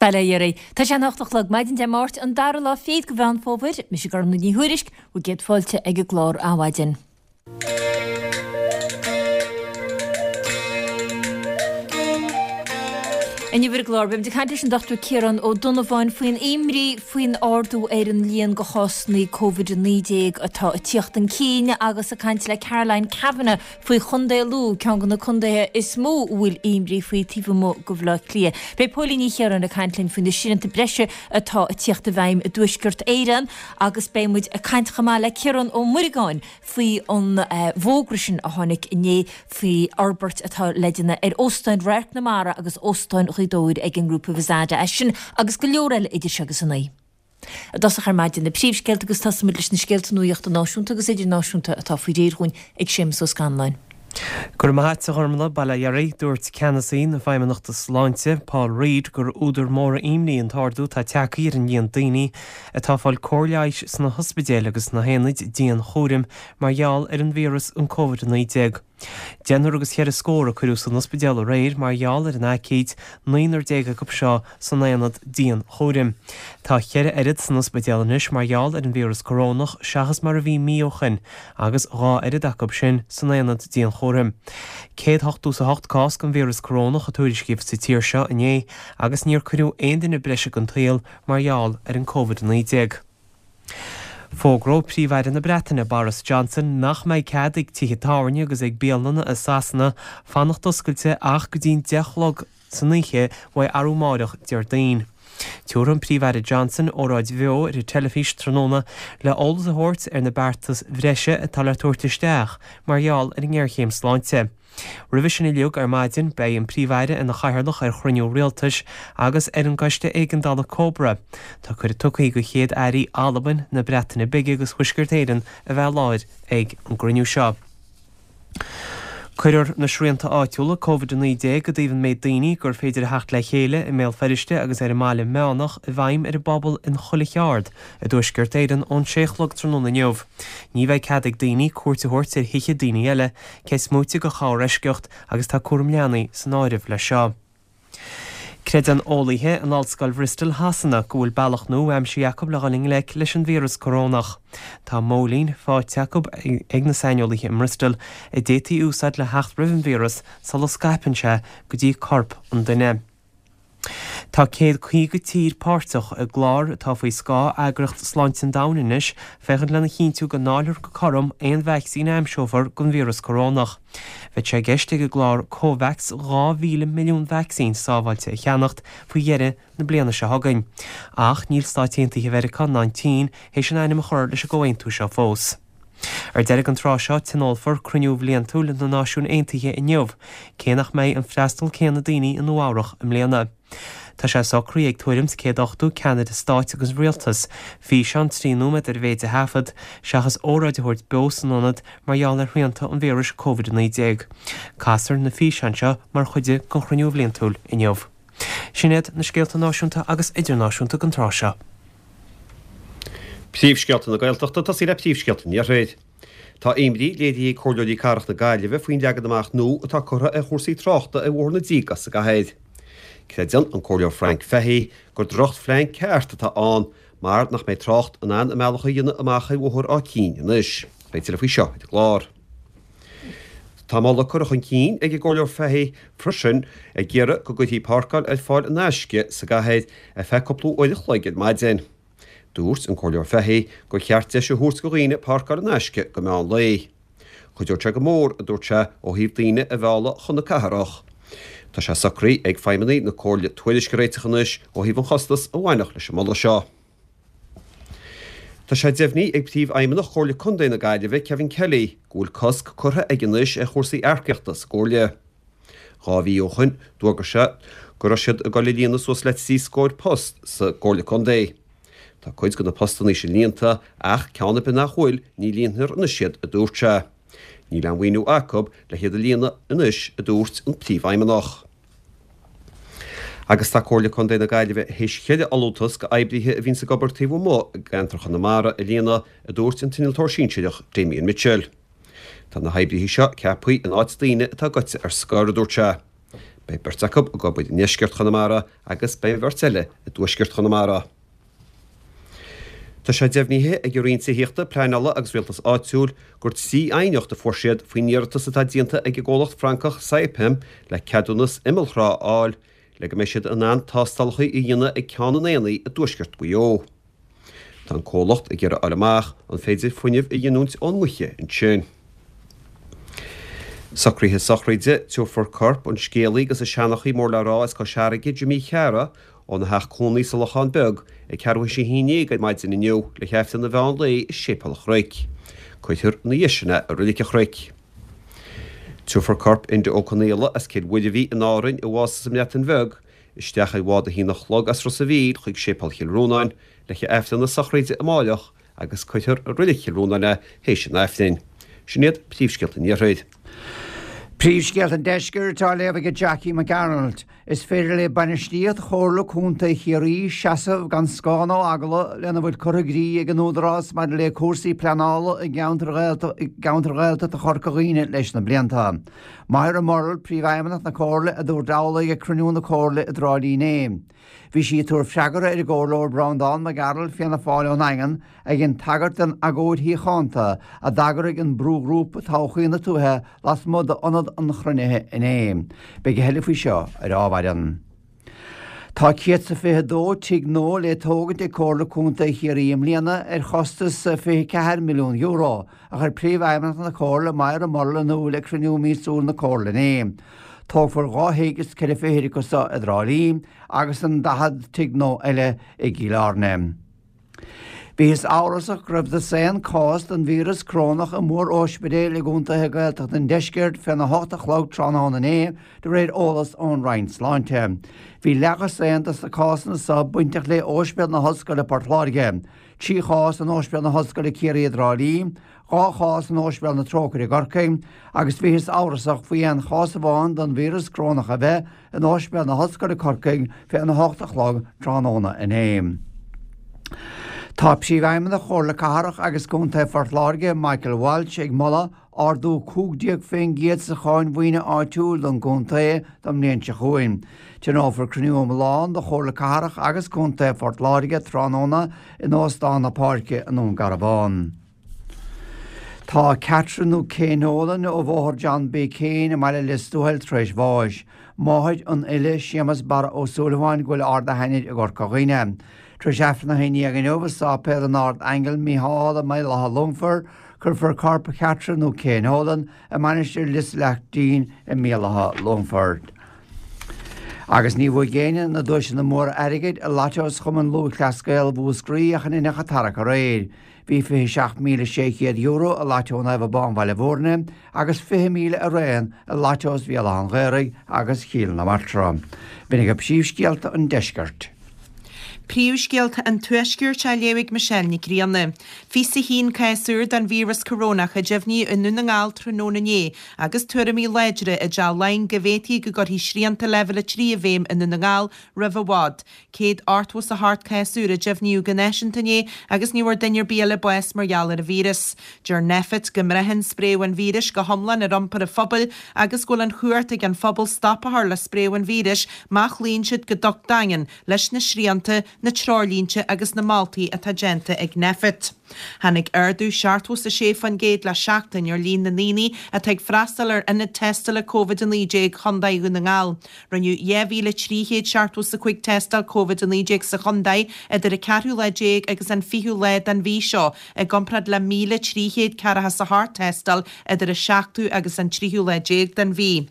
Bail ó Dhia oraibh. Tá sé an 8 a chlog, maidin Dé Máirt, an dara lá fichead de Mheán Fómhair. Mise Gormfhlaith Ní Thuairisg, bhur gcéad fáilte ag an gclár Adhmhaidin. Inniu ar an gclár, beimid ag caint leis an Dr Ciarán Ó Donnabháin faoin imní faoin ardú ar an líon de chásanna Covid-19 atá ag tíocht chun cinn agus ag caint le Caroline Kavanagh faoi Chontae Lú, ceann de na contaetha is mó a bhfuil imní faoi taobh amuigh de Bhaile Átha Cliath. Beidh Póilín Ní Chiaráin ag caint linn faoi na srianta breise atá ag tíocht i bhfeidhm i dTuaisceart Éireann agus beidh muid ag caint chomh maith le Ciarán Ó Muireagáin faoi an bhfógra sin a tháinig inné faoi fhorbairt atá le déanamh ar Óstán Radharc na Mara agus Óstán Ghaoth Dobhair ag an ngrúpa Vizada. É sin agus go leor eile idir seo agus a 9. I dtosach ar maidin, na príomhscéalta agus tosóimid leis na scéalta nuachta náisiúnta agus idirnáisiúnta atá faoi réir dhúinn ag Séamus Ó Scanláin. Go raibh maith a't, a Ghormfhlaith, bail ó Dhia oraibh. Dúirt ceannasaí na Feidhmeannachta Sláinte, Paul Reid, gur údar mór imní an t-ardú atá tagtha ar an líon daoine atá ag fáil cóir leighis sna hospidéil agus sna haonaid dianchúraim mar gheall ar an víreas an Covid-19. Deichniúr agus cheithre scór a cuireadh san ospidéal aréir mar gheall ar an aicíd, naonúr acu seo san aonad dianchúraim. Tá cheithre oiread san ospidéal anois mar gheall ar an víreas corónach seachas mar a bhí mí ó shoin agus dhá oiread acu sin san aonad dianchúraim. 188 cás den víreas corónach a tuairiscíodh sa tír seo inné agus níor cuireadh aon duine breise den tsaol mar gheall ar an Covid-19. Fógróidh Príomh-Aire na Breataine, Boris Johnson, nach mbeidh cead ag tithe tábhairne agus ag bialanna i Sasana fanacht oscailte ach go dtí'n 10 a chlog san oíche uaidh arú amáireach, Déardaoin. Tiúrfaidh an Príomh-Aire Johnson óráid bheo ar an teilifís tráthnóna le eolas a thabhairt ar na beartais bhreise atá le tabhairt isteach mar gheall ar an ngéarchéim sláinte. Roimhe sin uilig, ar maidin, beidh an Príomh-Aire ina chathaoirleach ar chruinniú rialtais agus ar an gcoiste éigeandála Cobra. Tá cuireadh tugtha do Chéad-Airí Albain, na Breataine Bige agus Thuaisceart Éireann a bheith i láthair ag an gcruinniú seo. Cuirfear na srianta áitiúla Covid-19 i dtaobh an méid daoine gur féidir a theacht le chéile i mBéal Feirste agus ar an mBaile Meánach i bhfeidhm ar an bpobal in chuile cheard i dTuaisceart Éireann ón sé a chlog tráthnóna inniu. Ní bheidh cead ag daoine cuairt a thabhairt ar thithe daoine eile, cé is móite de chorr-eisceacht agus tá cúram leanaí san áireamh leis seo. Creideann eolaithe in Ollscoil Bhristol Shasana go bhfuil bealach nua aimsithe acu le dhul i ngleic leis an víreas corónach. Tá móilín faighte acu ag na saineolaithe i mBristol a d'fhéadfaí a úsáid le theacht roimh an víreas sula scaipeann sé go dtí corp an duine. Tá 150 tír páirteach i gclár atá faoi scáth Eagraíocht Sláinte an Domhain anois féachaint lena chinntiú go ndáilfear go cothrom aon vacsaín a aimseofar don víreas corónach. Bheadh sé i gceist ag an gclár Covax 2,000 milliún vacsaín sábháilte a cheannacht faoi dheireadh na bliana seo chugainn. Ach níl Stáit Aontaithe Mheiriceá ná an tSín théis a n-ainm a chur leis an gcomhaontú seo fós. Ar deireadh an tráth seo, tionólfar cruinniú bhliantúil na Náisiún Aontaithe inniu, cé nach mbeidh an freastal céanna daoine i Nua Eabhrach i mbliana. Tá sé socraithe ag tuairim 's 180 ceannaire stáit agus rialtas físeán 3 nóiméad ar a mhéid a thaifead, seachas óráid a thabhairt beo san ionad mar gheall ar shrianta an víris Covid-19. Casfar na físeáin seo mar chuid den chruinniú bhliantúil inniu. Sin iad na scéalta náisiúnta agus idirnáisiúnta don tráth seo. Príomhscéalta na Gaeltachta, ag tosaí le príomhscéalta an Iarthair. Tá imní léirithe ag Comhairleoirí Cathrach na Gaillimhe faoin leagan amach nua atá curtha ar chúrsaí tráchta ar Bhóthar na dTrí sa gcathair. Creideann an Comhairleoir Frank Fahey gur drochphlean ceart atá ann mar nach mbeidh trácht in ann a mbealach a dhéanamh amach ar Bhóthar Áth Cinn anois. Beidh tuilleadh faoi seo ar an gclár. Tá moladh curtha chun cinn ag an gComhairleoir Fahey freisin ag iarraidh go gcuirfí páirceáil ar fáil in aisce sa gcathair ar feadh cúpla uair a chloig ar maidin. Dúirt an Comhairleoir Fahey gur cheart deis a thabhairt go dhaoine páirceáil in aisce go meán lae. Chuideodh sé go mór, a dúirt sé, ó thaobh daoine a mhealladh chun na cathrach. Tá sé socraithe ag feidhmeannaigh na Comhairle tuairisc a réiteach anois ó thaobh an chostais a bhainfeadh leis an moladh seo. Tá sé deimhnithe ag Príomhfheidhmeannach Chomhairle Contae na Gaillimhe, Kevin Kelly, go bhfuil cosc curtha aige anois ar chúrsaí earcaíochta sa gComhairle. Dhá mhí ó shoin, d'fhógair sé go raibh siad ag dul a líonadh suas le 3 scóir post sa gComhairle Contae. Tá cuid de na postannaí sin líonta, ach ceann ar bith nach bhfuil, ní líonfar anois iad, a dúirt sé. Níl aon mhaoiniú acu le hiad a líonadh anois, a dúirt an Príomhfheidhmeannach. Agus tá Comhairle Contae na Gaillimhe théis cheithre fholúntas go oibrithe a bhíonns ag obair taobh amuigh i gceantar Chonamara a líonadh, a dúirt an t-innealtóir sinsearach Damien Mitchell. Tá na hoibrithe seo ceaptha in áit daoine atá gaibhte ar scor, a dúirt sé. Beidh beirt acu ag obair i ndeisceart Chonamara agus beidh an bheirt eile i dtuaisceart Chonamara. Tá sé deimhnithe ag an Roinn Tithíochta, Pleanála agus Rialtais Áitiúil gur 3 aighneacht a fuair siad faoin iarratas atá déanta ag an gcomhlacht Francach Saipem le ceadúnas imeallthrá a fháil le go mbeidh siad in ann tástálacha a dhéanamh ag Ceann an Aonaigh i dtuaisceart Mhaigh Eo. Tá an comhlacht ag iarraidh a fháil amach an féidir fuinneamh a ghiniúint ón ngaoth ansin. Socruithe sochraide, Tabharfar corp an scéalaí agus an seanchaí mór le rá as Cois Fharraige, Jimí Chearra, óna theach cónaí sa Lochán Beag ag ceathrú théis a haon dhéag ar maidin inniu le hAifreann an mheán lae i Séipéal an Chnoic. Cuirfear ina dhiaidh sin é i Reilig an Chnoic. Tabharfar corp Enda Ó Conaola as Cill Mhuirbhigh in Árainn, a bhásaigh sa mBreatain Bheag, isteach ar bhád a haon a chlog as Ros a' Mhíl chuig Séipéal Chill Rónáin le haghaidh Aifreann na sochraide amáireach agus cuirfear i Reilig Chill Rónáin é théis an Aifrinn. Sin iad príomhscéalta an Iarthair. Príomhscéalta an Deiscirt á léamh ag Jackie Mac Gearailt. Is féidir le bainistíocht Chomhairle Contae Chiarraí seasamh gan scáth ná eagla lena bhfuil curtha i gcrích ag an Údarás maidir le cúrsaí pleanála i gceantair Ghaeltachta Chorca Dhuibhne leis na blianta. Moira Murrell, Príomhfheidhmeannach na Comhairle, a dúirt amhlaidh ag cruinniú na Comhairle i dTrá Lí inné. Bhí sí ag tabhairt freagra ar an gComhairleoir Breandán Mac Gearailt, Fianna Fáil ón nDaingean, a dhein tagairt don agóid shíochánta a d'eagraigh an brúghrúpa Todhchaí na Tuaithe lasmuigh d'ionad an chruinnithe inné. Beidh a thuilleadh faoi seo ar ámhaireann. Tá 122 tigh nua le tógaint ag Comhairle Contae Chiarraí i mbliana ar chostas €24 milliún, a chuir Príomhfheidhmeannach na Comhairle, Moira Murrell in iúl ag cruinniú míosúil na Comhairle inné. Tógfar dhá thigh is ceithre fichid acu seo i dTrá Lí agus an 40 tigh nua eile i gCill Airne. Bhíothas amhrasach go raibh dosaen cás den víreas corónach i mór-ospidéil i gcontaetha Gaeltachta an deiscirt féna hocht a chlog tráthnóna inné, de réir eolas ón Roinn Sláinte. Bhí leathdhosaen dos na cásanna seo bainteach le Ospidéal na hOllscoile Port Láirge, 3 chás in Ospidéal na hOllscoile Ciarraí i dTrá Lí, 2 chás in Ospidéal na Trócaire i gCorcaigh agus bhíothas amhrasach faoi aon chás amháin den víreas corónach a bheith in Ospidéal na hOllscoile Corcaigh féna hocht a chlog tráthnóna inné. Tá Príomhfheidhmeannach Chomhairle Cathrach agus Contae Phort Láirge, Michael Walsh, ag moladh ardú 15% sa cháin mhaoine áitiúil don gcontae don mbliain seo chugainn. Tionólfar cruinniú iomlán de Chomhairle Cathrach agus Contae Phort Láirge tráthnóna in Óstán na Páirce i nDún Garbhán. Tá Catherine nó Kay Nolan ó Bhóthar John B. Keane i mbaile Lios Tuathail tar éis bháis. Máthair an fhile Séamus Barra Ó Súilleabháin go bhfuil ard a hainnir i gCorca Dhuibhne. Tar éis Aifreann 11 inniu i Sáipéal an Ard Aingeal Mícheál i mBaile Átha Longfoirt, cuirfear corp Chatherine nó Kay Nolan i Mainistir Lios Laichtín i mBéal Átha Longfoirt. Agus ní bhuaigh éinne na duaiseanna móra airgid i Lottos Chumann Lúthchleas Gael Mhúscraí ach an inneach a tarrac aréir. Bhí €27,600 i Lotto Naomh Abán Bhaile Bhúirne agus 20,000 araon i Lottos Bhéal Átha an Ghaorthaidh agus Chill na Martra. B'in agaibh príomhscéalta an deiscirt. Príomhscéalta an Tuaiscirt á léamh ag Michelle Nic Grianna. 21 cás úr den víreas corónach a deimhníodh i nDún na nGall tráthnóna inné agus tuairimí láidre i dTeach Laighean go bhféadfaí go gcuirfí srianta Leibhéal 3 i bhfeidhm i Ndún na Ngall roimh i bhfad. 188 cás úr a deimhníodh go náisiúnta inné agus ní bhfuair duine ar bith eile bás mar gheall ar an víreas. Deir Nphet go mbraitheann spréadh an víris go hiomlán ar iompar an phobail agus go bhfuil an chumhacht ag an phobal stop a chur le spréadh an víris má chloíonn siad go docht daingean leis na srianta, na treoirlínte agus na moltaí atá déanta ag Nphet. Tháinig ardú 76% le seachtain ar líon na ndaoine atá ag freastal ar ionaid tástála Covid-19 Chontae Dhún na nGall. Rinneadh 2,375 tástáil Covid-19 sa chontae idir an ceathrú lá déag agus an fichiú lá den mhí seo, i gcomparáid le 1,348 tástáil idir an seachtú agus an tríú lá déag den mhí.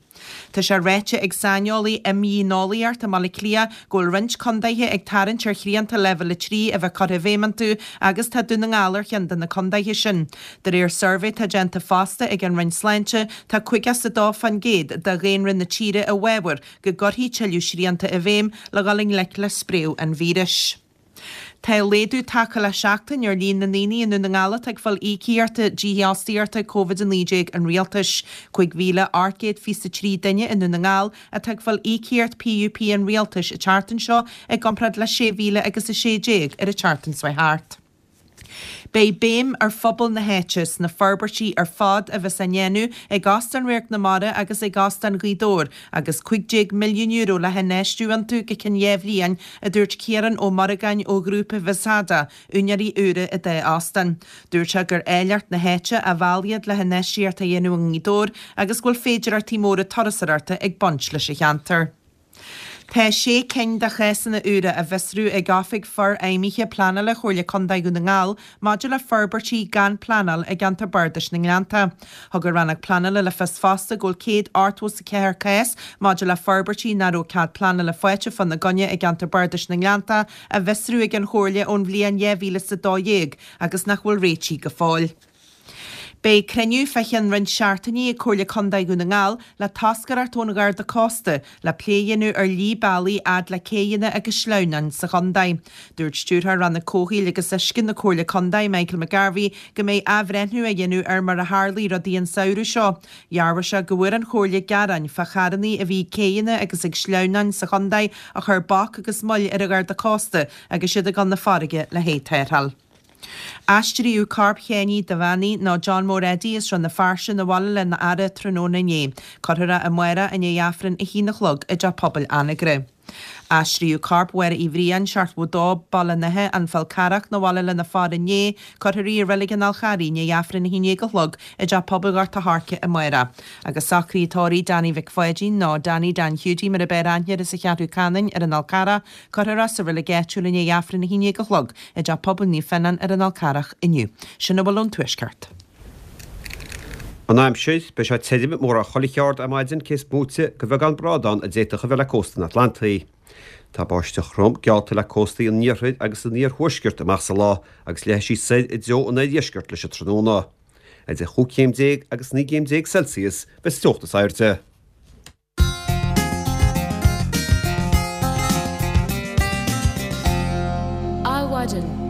Tá sé ráite ag saineolaí imdhíoneolaíochta i mBaile Átha Cliath go bhfuil roinnt contaetha ag tarraingt ar shrianta Leibhéal 3 a bheith curtha i bhfeidhm iontu agus tá Dún na nGall ar cheann de na contaetha sin. De réir suirbhé atá déanta fosta ag an Roinn Sláinte, tá 52% de dhaonra na tíre i bhfabhar go gcuirfí tuilleadh srianta i bhfeidhm le dhul i ngleic le spréadh an víris. Tá laghdú tagtha le seachtain ar líon na ndaoine i nDún na nGall atá ag fáil íocaíochta dífhostaíochta Covid-19 an Rialtais. 5,823 duine i nDún na nGall atá ag fáil íocaíocht PUP an Rialtais an tseachtain seo i gcomparáid le 6,000 agus 16 ar an tseachtain seo thart. Beidh béim ar phobal na háite sna forbairtí ar fad a bheas á ndéanamh ag Óstán Radharc na Mara agus ag Óstán Ghaoth Dobhair agus €15 milliún le hinfheistiú iontu go ceann 2 bhliain, a dúirt Ciarán Ó Muireagáin ó Ghrúpa Visada, úinéirí úra an dá óstán. Dúirt sé gur áilleacht na háite a mheall iad le hinfheistíocht a dhéanamh i nGaoth Dobhair agus go bhfuil féidearthachtaí móra turasóireachta ag baint leis an cheantar. Tá sé cinn de chásanna úra á bhfiosrú ag Oifig Forfheidhmithe Pleanála Chomhairle Contae Dhún na nGall maidir le forbairtí gan pleanáil i gceantar Bardais na nGleannta. Thug an Rannóg Pleanála le fios fosta go bhfuil 184 cás maidir le forbairtí nach raibh cead pleanála faighte fána gcoinne i gceantar Bardais na nGleannta á bhfiosrú ag an Chomhairle ón bhliain 2012 agus nach bhfuil réitithe go fóill. Beidh cruinniú fá cheann roinnt seachtainí ag Comhairle Contae Dhún na nGall le toscaireacht ón Gharda Cósta le plé a dhéanamh ar shlí bealaigh fhad le céidheanna agus sleamhnáin sa chontae. Dúirt Stiúrthóir Rannóg Comhshaoil agus Uisce na Comhairle Contae, Michael McGarvey, go mbeidh athbhreithniú á dhéanamh ar mar a tharlaigh rudaí an samhradh seo. Dhearbhaigh sé go bhfuair an Chomhairle gearáin fá charrannaí a bhí ag céidheanna agus ag sleamhnáin sa chontae a chuir bac agus moill ar an Gharda Cósta agus iad ag dul na farraige le haghaidh tarrtháil. Aistríodh corp Sheánie Devaney, nó John Mór Eddie as Rann na Feirste 'na bhaile lena fhaire tráthnóna inné. Cuirfear é amárach i ndiaidh Aifreann 1 a chlog i dTeach Pobail Anagaire. Aistríodh corp Mháire Uí Bhriain, 72, Baile an Átha, An Fál Carrach, 'na bhaile lena faire inné. Cuirfear í i Reilig an Fháil Charraigh i ndiaidh Aifreann 11 a chlog i dTeach Pobail Ghort a' Choirce amárach. Agus socruithe tórraimh Danny Mhic Pháidín, nó Danny Dan Hiúdaí mar ab fhearr aithne air as an Cheathrú Canann ar an Fhál Carrach, Cuirfear é sa reilig áitiúil i ndiaidh Aifreann 11 a chlog i dTeach Pobail Naomh Fionnán ar an Fhál Carrach inniu. Sin a bhfuil ón Tuaisceart. An aimsir, Beidh sé tirim mórán chuile cheard ar maidin cé is móite de bheagán brádán a d'fhéadfadh a bheith le cósta an Atlantaigh. Tá báisteach throm geallta le cóstaí an iarthair agus an iarthuaiscirt amach sa lá agus leathfaidh sí soir i dtreo an oirdheiscirt leis an tráthnóna. Idir chúig chéim déag agus 19 gcéim Celsius bheas an teocht is airde. Adhmhaidin.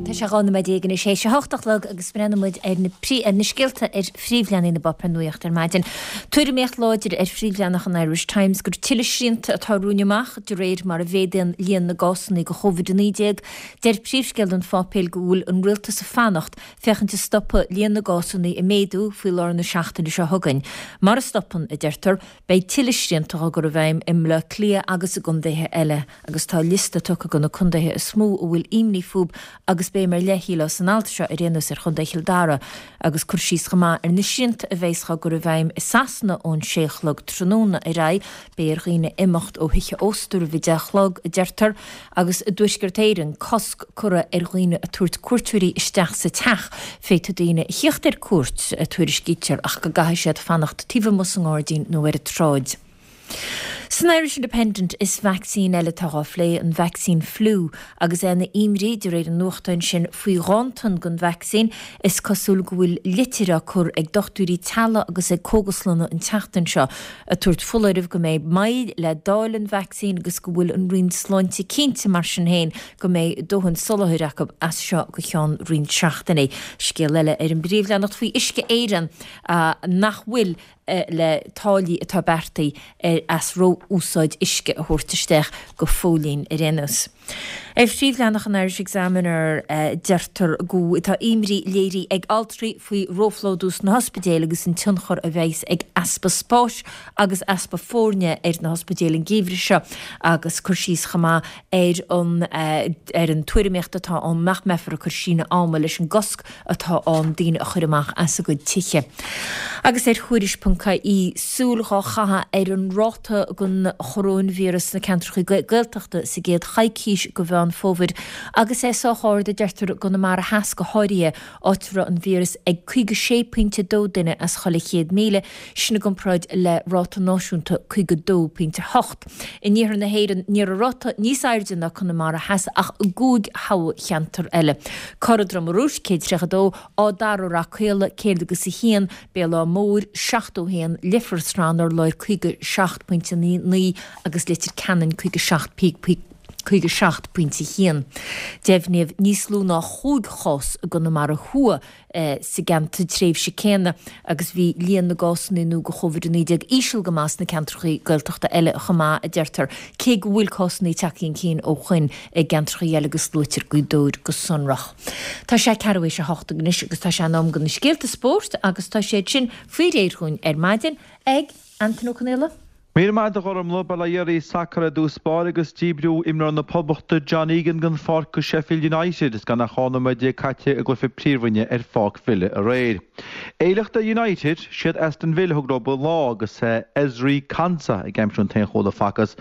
Tá sé 12 nóiméad anois théis a hocht a chlog agus breathnóidh muid ar na ar na scéalta ar phríomhleathanaigh na bpáipéar nuachta ar maidin. Tuairimíocht láidir ar phríomhleathanach an Irish Times gur tuilleadh srianta atá romhainn amach de réir mar a mhéadaíonn líon na gcásanna de Chovid-19. Deir príomhscéal an pháipéil go bhfuil an rialtas ag fanacht féachaint an stopfaidh líon na gcásanna ag méadú faoi lár na seachtaine seo chugainn. Mara stopann, a deirtear, beidh tuilleadh srianta á gcur i bhfeidhm i mBleá Cliath agus i gcontaetha eile agus tá liosta tugtha de na contaetha is mó a bhfuil imní fúb agus béim ar leith, shílfeá, san alt seo ar aon nós ar Chontae Chill Dara agus cur síos chomh maith ar na srianta a bheas á gcur i bhfeidhm i Sasana ón sé a chlog tráthnóna ar aghaidh. Beidh ar dhaoine imeacht ó thithe ósta roimh a deich a chlog, a deirtear. Agus i dTuaisceart Éireann, cosc curtha ar dhaoine ag tabhairt cuairteoirí isteach sa teach. Féadfaidh daoine a thíocht ar cuairt, a tuairiscítear, ach go gcaithfidh siad fanacht taobh amuigh sa ngairdín nó ar an tsráid. San Irish Independent, is vacsaín eile atá á phlé, an vacsaín fliú, agus é ina imní, de réir an nuachtáin sin, faoi ghanntan den vacsaín. Is cosúil go bhfuil litir á cur ag dochtúirí teaghlaigh agus ag cógaslanna an tseachtain seo, ag tabhairt foláirimh go mbeidh moill le dáileadh an vacsaín agus go bhfuil an Roinn Sláinte cinnte mar sin féin go mbeidh dóthain soláthair acu as seo go ceann roinnt seachtainí. Scéal eile ar an bpríomhleathanach faoi Uisce Éireann nach bhfuil le táillí atá beartaithe as ró-úsáid uisce a thabhairt isteach go fóillín ar aon nós. Ar phríomhleathanach an Irish Examiner deirtear go tá imní léirithe ag altraí faoi róphlódú sna hospidéil agus an tionchar a bheas ag easpa spáis agus easpa foirne ar na hospidéil an geimhreadh seo agus cur síos chomh maith ar an ar an tuairimíocht atá ann nach mbeifear ag cur síneadh ama leis an gcosc atá ann daoine a chur amach as a gcuid tithe. Agus ar Thuairisc.ie, súil dhá chaitheamh ar an ráta den choróinvíreas sna ceantracha Gaeltachta sa gcéad choicís de Mheán Fómhair agus é sách ard, a deirtear, i gConamara Theas go háirithe, áit a raibh an víreas ag 56.2 duine as chuile 100,000, sin i gcomparáid le ráta náisiúnta 52.8. In iarthar na hÉireann, ní raibh ráta níos airde ná Conamara Theas ach i gcúig thoghcheantar eile. Corra Droma Rúisc, 132, Áth Dara Rath Caola, 100 agus a haon, Béal Átha Móir, 71, Leifear Srath an Urláir, 57.9 agus Leitir Ceanainn, 57. 57 pointe 1. Deimhníodh níos lú ná chúig chás i gConamara Thuaidh sa gceantar tréimhse céanna agus bhí líon na gcásanna nua de Covid-19 íseal go maith sna ceantracha Gaeltachta eile chomh maith, a deirtear, cé go bhfuil cásanna tagtha chun cinn ó shoin i gceantracha eile agus luaitear Gaoth Dobhair go sonrach. Tá sé ceathrú théis a hocht anois agus tá sé in am do na scéalta spóirt agus tá siad sin faoi réir dhúinn ar maidin ag Antaine Ó Conaola. Míle maith agat a Ghormlaith, Bail ó Dhia oraibh, Sacar i dtús báire agus díbríodh imreoir na Poblachta John Egan den pháirc go Sheffield United is gan ach 12 nóiméad caite i gcluiche Príomhroinne ar Pháirc Villa aréir. Éileach do United, siad Aston Villa a thug leo an lá agus Ezri Konsa ag aimsiú an t-aon chúl a facthas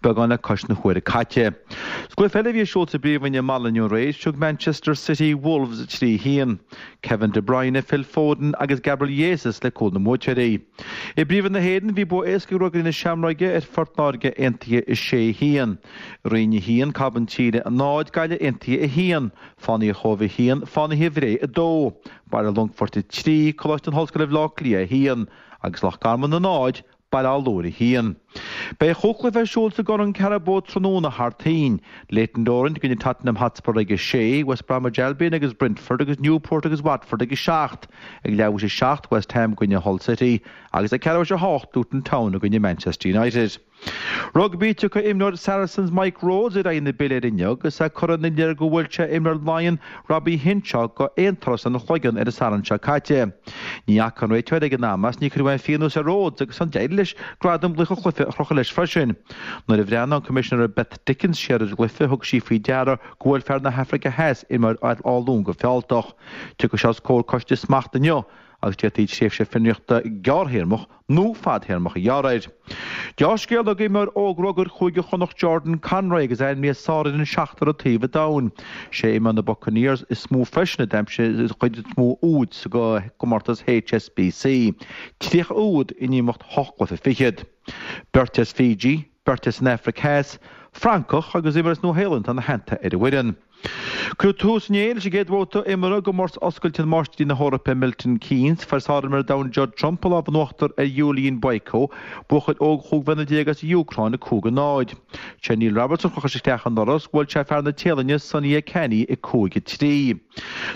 beagán le cois na huaire caite. Sa gcluiche eile a bhí ar siúl sa bPríomhroinn i mbaile inniu aréir, thug Manchester City Wolves 3-1. Kevin De Bruyne, Phil Foden agus Gabriel Jesus le cúil na mbuaiteoirí. I bPríomhroinn na hÉireann, bhí bua éasca ag Ruagairí na Seamróige ar Phort Láirge Aontaithe 6, 1. Rinn 1, Cábán Tíre 0, Gaillimh Aontaithe 1, Fánaithe Chóibh 1, Fánaithe Bhré 2, Baile Longfoirt 3, Coláiste na hOllscoile Bhaile Átha Cliath 1, agus Loch Garman 0, Baile Átha Lúir 1. Beidh chúig chluiche ar siúl sa gCorn Carabao tráthnóna thar toinn. Leyton Orient i gcoinne Tottenham Hotspur ag a sé, West Bromwich Albion agus Brentford agus Newport agus Watford ag a 7, ag leathuair théis a 7 West Ham i gcoinne Hull City agus ag ceathrú théis a 8 Luton Town i gcoinne Manchester United. Rugbaí, Tiocfaidh imreoir Saracens Mike Rhodes ar aghaidh na bile air inniu agus é curtha ina leith gur bhuail sé imreoir Laighean Robbie Henshaw go aon turas ina chloigeann ar an Satharn seo caite. Ní fhaca an réiteoir ag an am is ní cuireadh aon phionós ar Rhodes agus ansan d'éirigh leis gradam laoch an chluiche a chrochadh leis freisin. Nuair a bhreathnaigh an Coimisinéir Beth Dickens siar ar an gcluiche thug sí faoi deara gur bhuail fear na hAfraice Theas imreoir Áth Luain go fealltach. Tiocfaidh sé os comhair coiste smachta inniu agus d'fhéadfaí tréimhse fionraíochta gearrthéarmach nó fadthéarmach a ghearradh air. Deá-scéala d'imreoir óg rugair Chúige Chonnacht Jordan Conroy agus é ainmnithe sárfhoireann seachtar an taobh an domhain. Sé imreoir na Buccaneers is mó freisin a d'aimsigh an chuid is mó úd sa gcomórtas HSBC, 30 úd in imeacht hocht gcluiche fichead. Beirt as Fiji, beirt as an Afraic Theas, Francach agus imreoir as Nua-Shéalainn atá ina theannta ar an bhfoireann. Cuireadh tús inné leis an gcéad bhabhta imeartha i gcomórtas oscailte Máistrí na hEorpa i Milton Keynes. Fuair sárimreoir an domhain Judd Trump an lámh in uachtar ar Iulian Boiko, buachaill óg chúig bhliana déag as an Úcráin, 5-0. Sé Neil Roberts a chroch isteach anuraidh is bhuail sé fear na Téalainne Sunny Akani 5-3.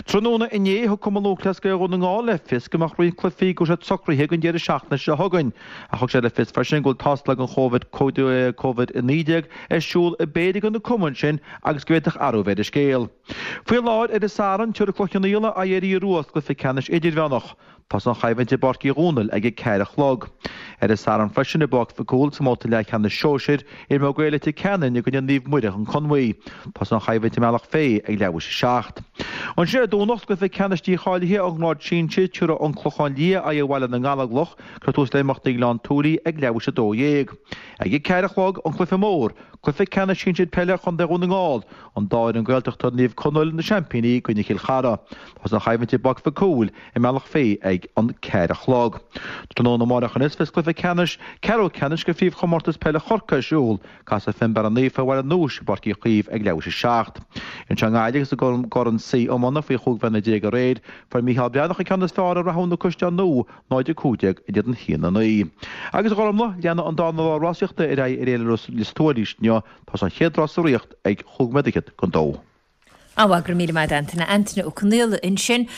Tráthnóna inné, thug Cumann Lúthchleas Gael Dhún na nGall le fios go mbeadh roinnt cluichí go raibh siad socraithe don deireadh seachtaine seo chugainn. Ach thug sé le fios freisin go bhfuil tástáil don Covid-19 ar siúl i bpéire de na cumainn sin agus go bhféadfadh athrú a bheith ar an scéal. Faoi láthair, ar an Satharn, tabharfaidh Cloich Cheann Fhaola aghaidh ar an Iorua sa gcluiche ceannais idirmheánach. Tosaíonn an choimhlint i bPáirc Uí Dhónaill ag a ceathair a chlog. Ar an Satharn freisin, i bPáirc Mhic Cumhaill sa mbabhta leathcheannais sóisir, imreoidh Gaeil Leitir Ceanainn i gcoinne Naomh Muire an Conmhaí. Tosaíonn an choimhlint i mBealach Féich ag leathuair théis a 7. Ansin ar an Domhnach, sa gcluiche ceannais dícháilithe ón ngrád sinsir, tabharfaidh An Clochán Liath aghaidh ar Bhaile na nGallóglach. Cuirfear tús le himeachtaí i nGleann tSúilí ag leathuair théis a 12. Ag a ceathair a chlog, an cluiche mór, cluiche ceannais sinsir peile Chontae Dhún na nGall, an dá fhoireann Gaeltachta, Naomh Conaill, na seaimpíní, i gcoinne Chill Chartha. Tosaíonn an choimhlint i bPáirc Mhic Cumhaill i mBealach Féich ag an ceathair a chlog. Tráthnóna amárach anois beidh cluiche ceannais, ceathrú ceannais de phríomhchomórtas peile Chorcaí ar siúl. Casfaidh Fionnbarra Naofa Baile an Núis i bPáirc Uí Chaoimh ag leathuair théis a 7. Anseo i nGaillimh agus i gCorn C iomána faoi chúig bhliana déag aréir, fuair Mícheál Breathnach an ceann is fearr ar Rathún na Caisleáin Nua, 0-15 in éadan 1-9. Agus a Ghormlaith, leanfaidh an dara lá rásaíochta ar aghaidh ar Fhéile Lios Tuathail arís inniu, tosaíonn an chéad rás sa Ríocht ag chúig nóiméad fhichead don dó. Á, go raibh míle maith agat Antaine. Antaine Ó Conaola ansin.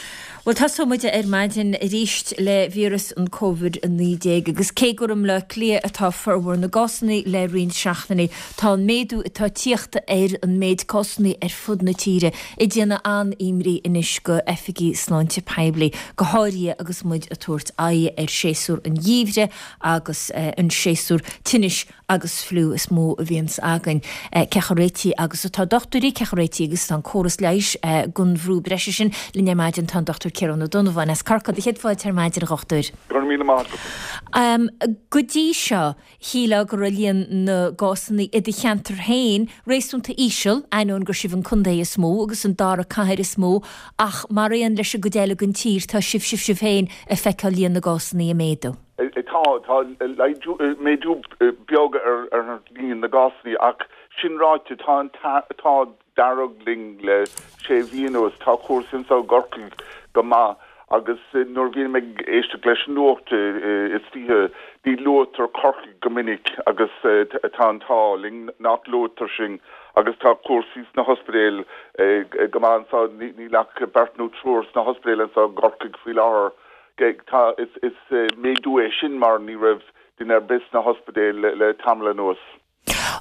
Bhuel, tosóidh muid ar maidin arís le víreas an Covid-19 agus cé gur i mBleá Cliath atá formhór na gcásanna le roinnt seachtainí, tá an méadú atá ag tíocht ar an méid cásanna ar fud na tíre ag déanamh an-imní anois go oifigigh sláinte poiblí, go háirithe agus muid ag tabhairt aghaidh ar séasúr an gheimhridh agus an séasúr tinnis agus fliú is mó a bhíonns againn. Cé chomh réitithe agus atá dochtúirí, cé chomh réitithe agus atá an córas leighis don bhrú breise sin? Linn ar maidin tá an Dr Ciarán Ó Donnabháin as Corcaigh. Céad fáilte ar maidin, a dhochtúir. Go raibh míle maith agat. Go dtí seo, shílfeá go raibh líon na gcásanna i do cheantar féin réasúnta íseal, ainneoin gur sibh an contae is mó agus an dara cathair is mó, ach mar aon leis an gcuid eile den tír, tá sibh, sibh, sibh féin ag feiceáil líon na gcásanna ag méadú. Tá, tá laghdú, méadú beag ar líon na gcásanna ach sin ráite, tá an t-ádh dearg linn le sé mhí anuas, tá cúrsaí anseo i gCorcaigh go maith. Agus nuair a bhím ag éisteacht leis an nuacht istoíche, ní luaitear Corcaigh go minic agus tá an t-ádh linn nach luaitear sinn agus tá cúrsaí sna hospidéil go maith anseo, níl ach beirt nó triúr sna hospidéil anseo i gCorcaigh faoi láthair. Tá, is méadú é sin mar ní raibh duine ar bith sna hospidéil le tamall anuas.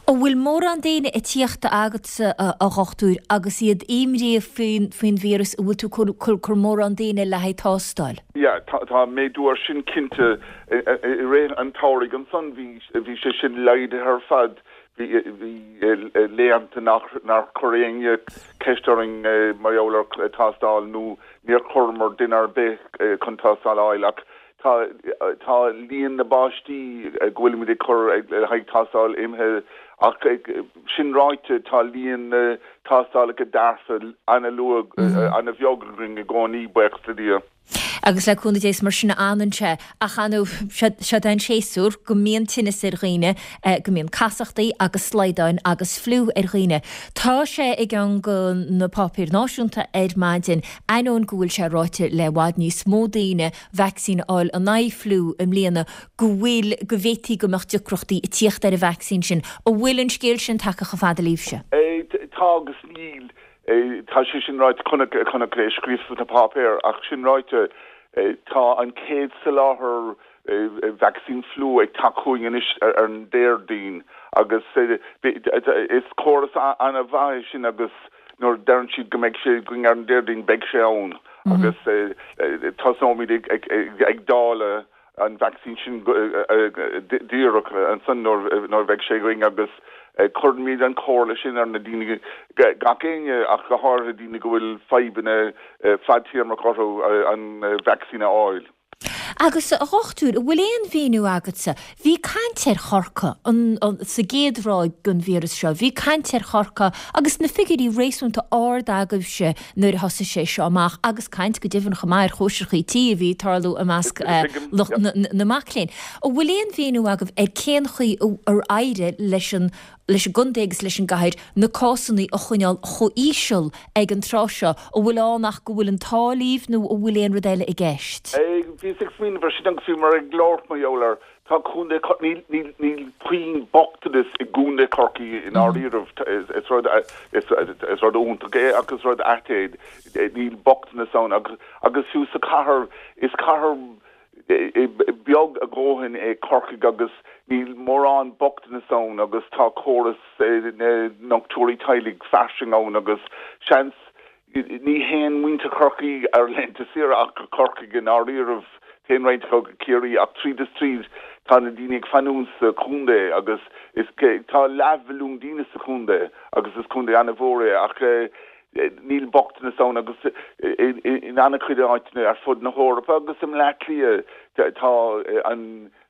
An bhfuil mórán daoine ag tíocht agatsa, a dhochtúir, agus iad imríoch faoin víreas, an bhfuil tú ag cur mórán daoine le haghaidh tástáil? Yeah, tá méadú air sin cinnte. I rith an tsamhraidh ansan bhí bhí sé sin laghdaithe ar fad. Bhí bhí laethanta nach nár chuir éinne ceist orainn mar gheall ar tástáil nó níor chuireamar duine ar bith chun tástáil a fháil ach Tá tá líon na bpáistí go bhfuilimid ag cur le haghaidh tástáil imithe ach sin ráite tá líon na tástálacha dearfa ana-luath, ana-bheag againn i gcónaí, buíochas le Dia. Agus le cúnamh Dé is mar sin a fhanann sé. Ach ar ndóigh, seo é an séasúr go mbíonn tinneas ar dhaoine, go mbíonn casachtaí agus slaghdáin agus fliú ar dhaoine. Tá sé i gceann de na páipéir náisiúnta ar maidin, ainneoin go bhfuil sé ráite le i bhfad níos mó daoine vacsaín a fháil in aghaidh fliú i mbliana, go bhfuil, go bhféadfaí go mbeadh deacrachtaí ag tíocht ar an vacsaín sin. An bhfuil an scéal sin tagtha chomh fada libhse? Tá agus níl. Tá sé sin ráite, chonac, chonac é scríofa sna páipéir, ach sin ráite, tá an chéad soláthar vacsaín fliú ag teacht chugainn anois ar an Déardaoin agus is córas an-mhaith é sin agus nuair a deireann siad go mbeidh sé againn ar an Déardaoin, beidh sé ann agus tosnóimid ag dáileadh an vacsaín sin díreach ansan nuair a bheidh sé againn agus cuirfimid an chomhairle sin ar na daoine, gach éinne ach go háirithe daoine go bhfuil fadhbanna fadtéarmach orthu an vacsaín a fháil. Agus, a dhochtúir, an bhfuil aon mhíniú agatsa, bhí caint ar Chorcaigh sa gcéad ráig den víreas seo, bhí caint ar Chorcaigh agus na figiúirí réasúnta ard agaibhse nuair a thosaigh sé seo amach agus caint go deimhin chomh maith ar chóisireachaí tí a bhí ag tarlú i measc lucht na mac léinn. An bhfuil aon mhíniú agaibh ar cén chaoi ar éirigh leis an leis an gcontae agus leis an gcathair na cásanna a choinneáil chomh híseal ag an tráth seo, an bhfuil ann ach go bhfuil an t-ádh libh nó an bhfuil aon rud eile i gceist? Bhíos ag smaoineamh ar sin agus bhíomar ag labhairt mar gheall air. Tá Contae Chorcaí, níl, níl puinn bochtanais i gContae Chorcaí i ndáiríribh. Is rud, is rud iontach é ach is rud ait é. Níl bochtanas ann agus, agus fiú sa chathair, is cathair, beag a dhóthain é Corcaigh agus níl mórán bochtanas ann agus tá córas na ndochtúirí teaghlaigh fairsing ann agus seans ní théann muintir Chorcaí ar laethanta saoire ach go Corcaigh i ndáiríribh, téann roinnt acu go Ciarraí ach tríd is tríd tá na daoine ag fanúint sa chontae agus is tá leathmhilliún daoine sa chontae agus is contae an-mhór é ach Níl bochtanas ann agus in an-chuid áiteanna ar fud na hEorpa agus i mBleá Cliath tá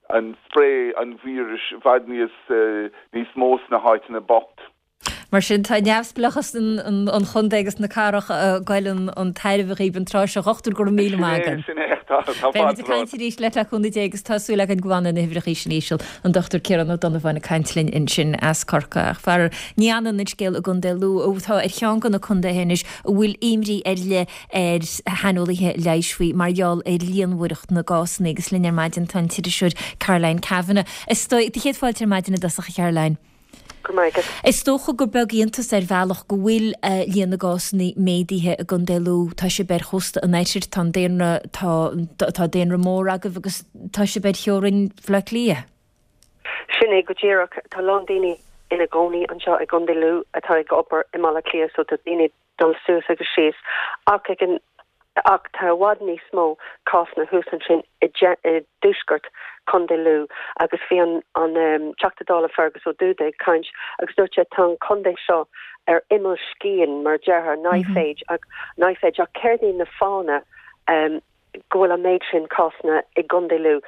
an spré an víris i bhfad níos níos mó sna háiteanna bocht. Mar sin, tá neamhspleáchas an chontae agus na cathrach ag goil chun tairbhe dhaoibh an tráth seo. A dhochtúir, go raibh míle maith agat. Sin é, sin é. Tá Beidh muid ag caint arís leat le cúnamh Dé agus tá súil againn go bhfanfaidh na huimhreacha sin íseal. An Dr Ciarán Ó Donnabháin ag caint linn ansin as Corcaigh. Ach faraor, ní fhanann an scéal i gContae Lú, atá ar cheann de na contaetha anois a bhfuil imní ar leith ar shaineolaithe leighis faoi mar gheall ar líonmhaireacht na gcásanna. Agus linn ar maidin tá an t-iriseoir Caroline Kavanagh. Is dóigh, do chéad fáilte ar maidin i dtosach, a Charoline. Go raibh maith agat. Is dócha gur beag iontas ar bhealach go bhfuil líon na gcásanna méadaithe i gContae Lú. Tá sibh ar chósta an oirthir, tá an daonra, tá, tá daonra mór agaibh agus tá sibh ar theorainn Bhaile Átha Cliath. Sin é go díreach. Tá a lán daoine ina gcónaí anseo i gContae Lú atá ag obair i mBaile Átha Cliath so tá daoine dul suas agus síos ach ag an ach tá i bhfad níos mó cásanna thuas ansin i dtuaisceart Chontae Lú agus bhí an an Teachta Dála Fergus Ó Dúda ag caint agus dúirt sé tá an contae seo ar imeall scian mar a déarfá, knife edge ach knife edge ach céard iad na fáthanna go bhfuil an méid sin cásanna i gContae Lú?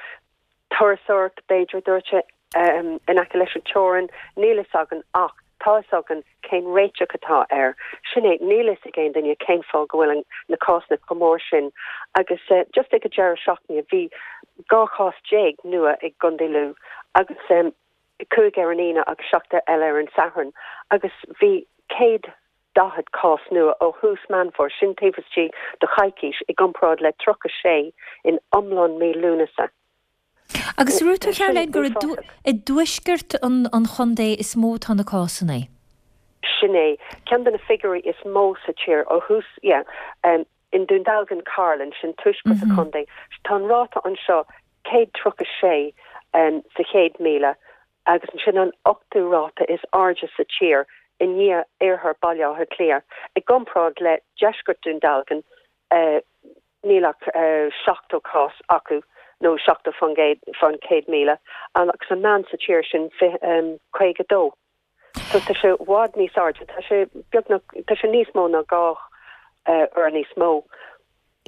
Turasóireacht, b'fhéidir, a dúirt sé, in aice leis an teorainn, níl fhios againn ach tá fhios againn cén réiteach atá air. Sin é, níl fhios ag aon duine cén fáth go bhfuil na cásanna chomh mór sin agus just ag an deireadh seachtaine bhí 12 chás nua i gContae Lú agus 5 ar an Aoine agus 7 eile ar an Satharn agus bhí 100. 140 cás nua ó thús Meán Fómhair, sin taobh istigh de choicís, i gcomparáid le 36 in iomlán mí Lúnasa. Agus dúirt tú, Caroline, gur i dtuaisceart an chontae is mó atá na cásanna. Sin é. Ceann de na figiúirí is mó sa tír ó thús, yeah, i nDún Dealgan, Cairlinn, sin tuaisceart an chontae, tá an ráta anseo 136 sa 100,000 agus ansin an ochtú ráta is airde sa tír i ndiaidh iarthar Baile Átha Cliath. I gcomparáid le deisceart Dún Dealgan, níl ach 70 cás acu, nó 70 fán 100,000, agus an meán sa tír sin 52. So tá sé i bhfad níos airde, tá sé beagnach, tá sé níos mó ná 2 uair níos mó.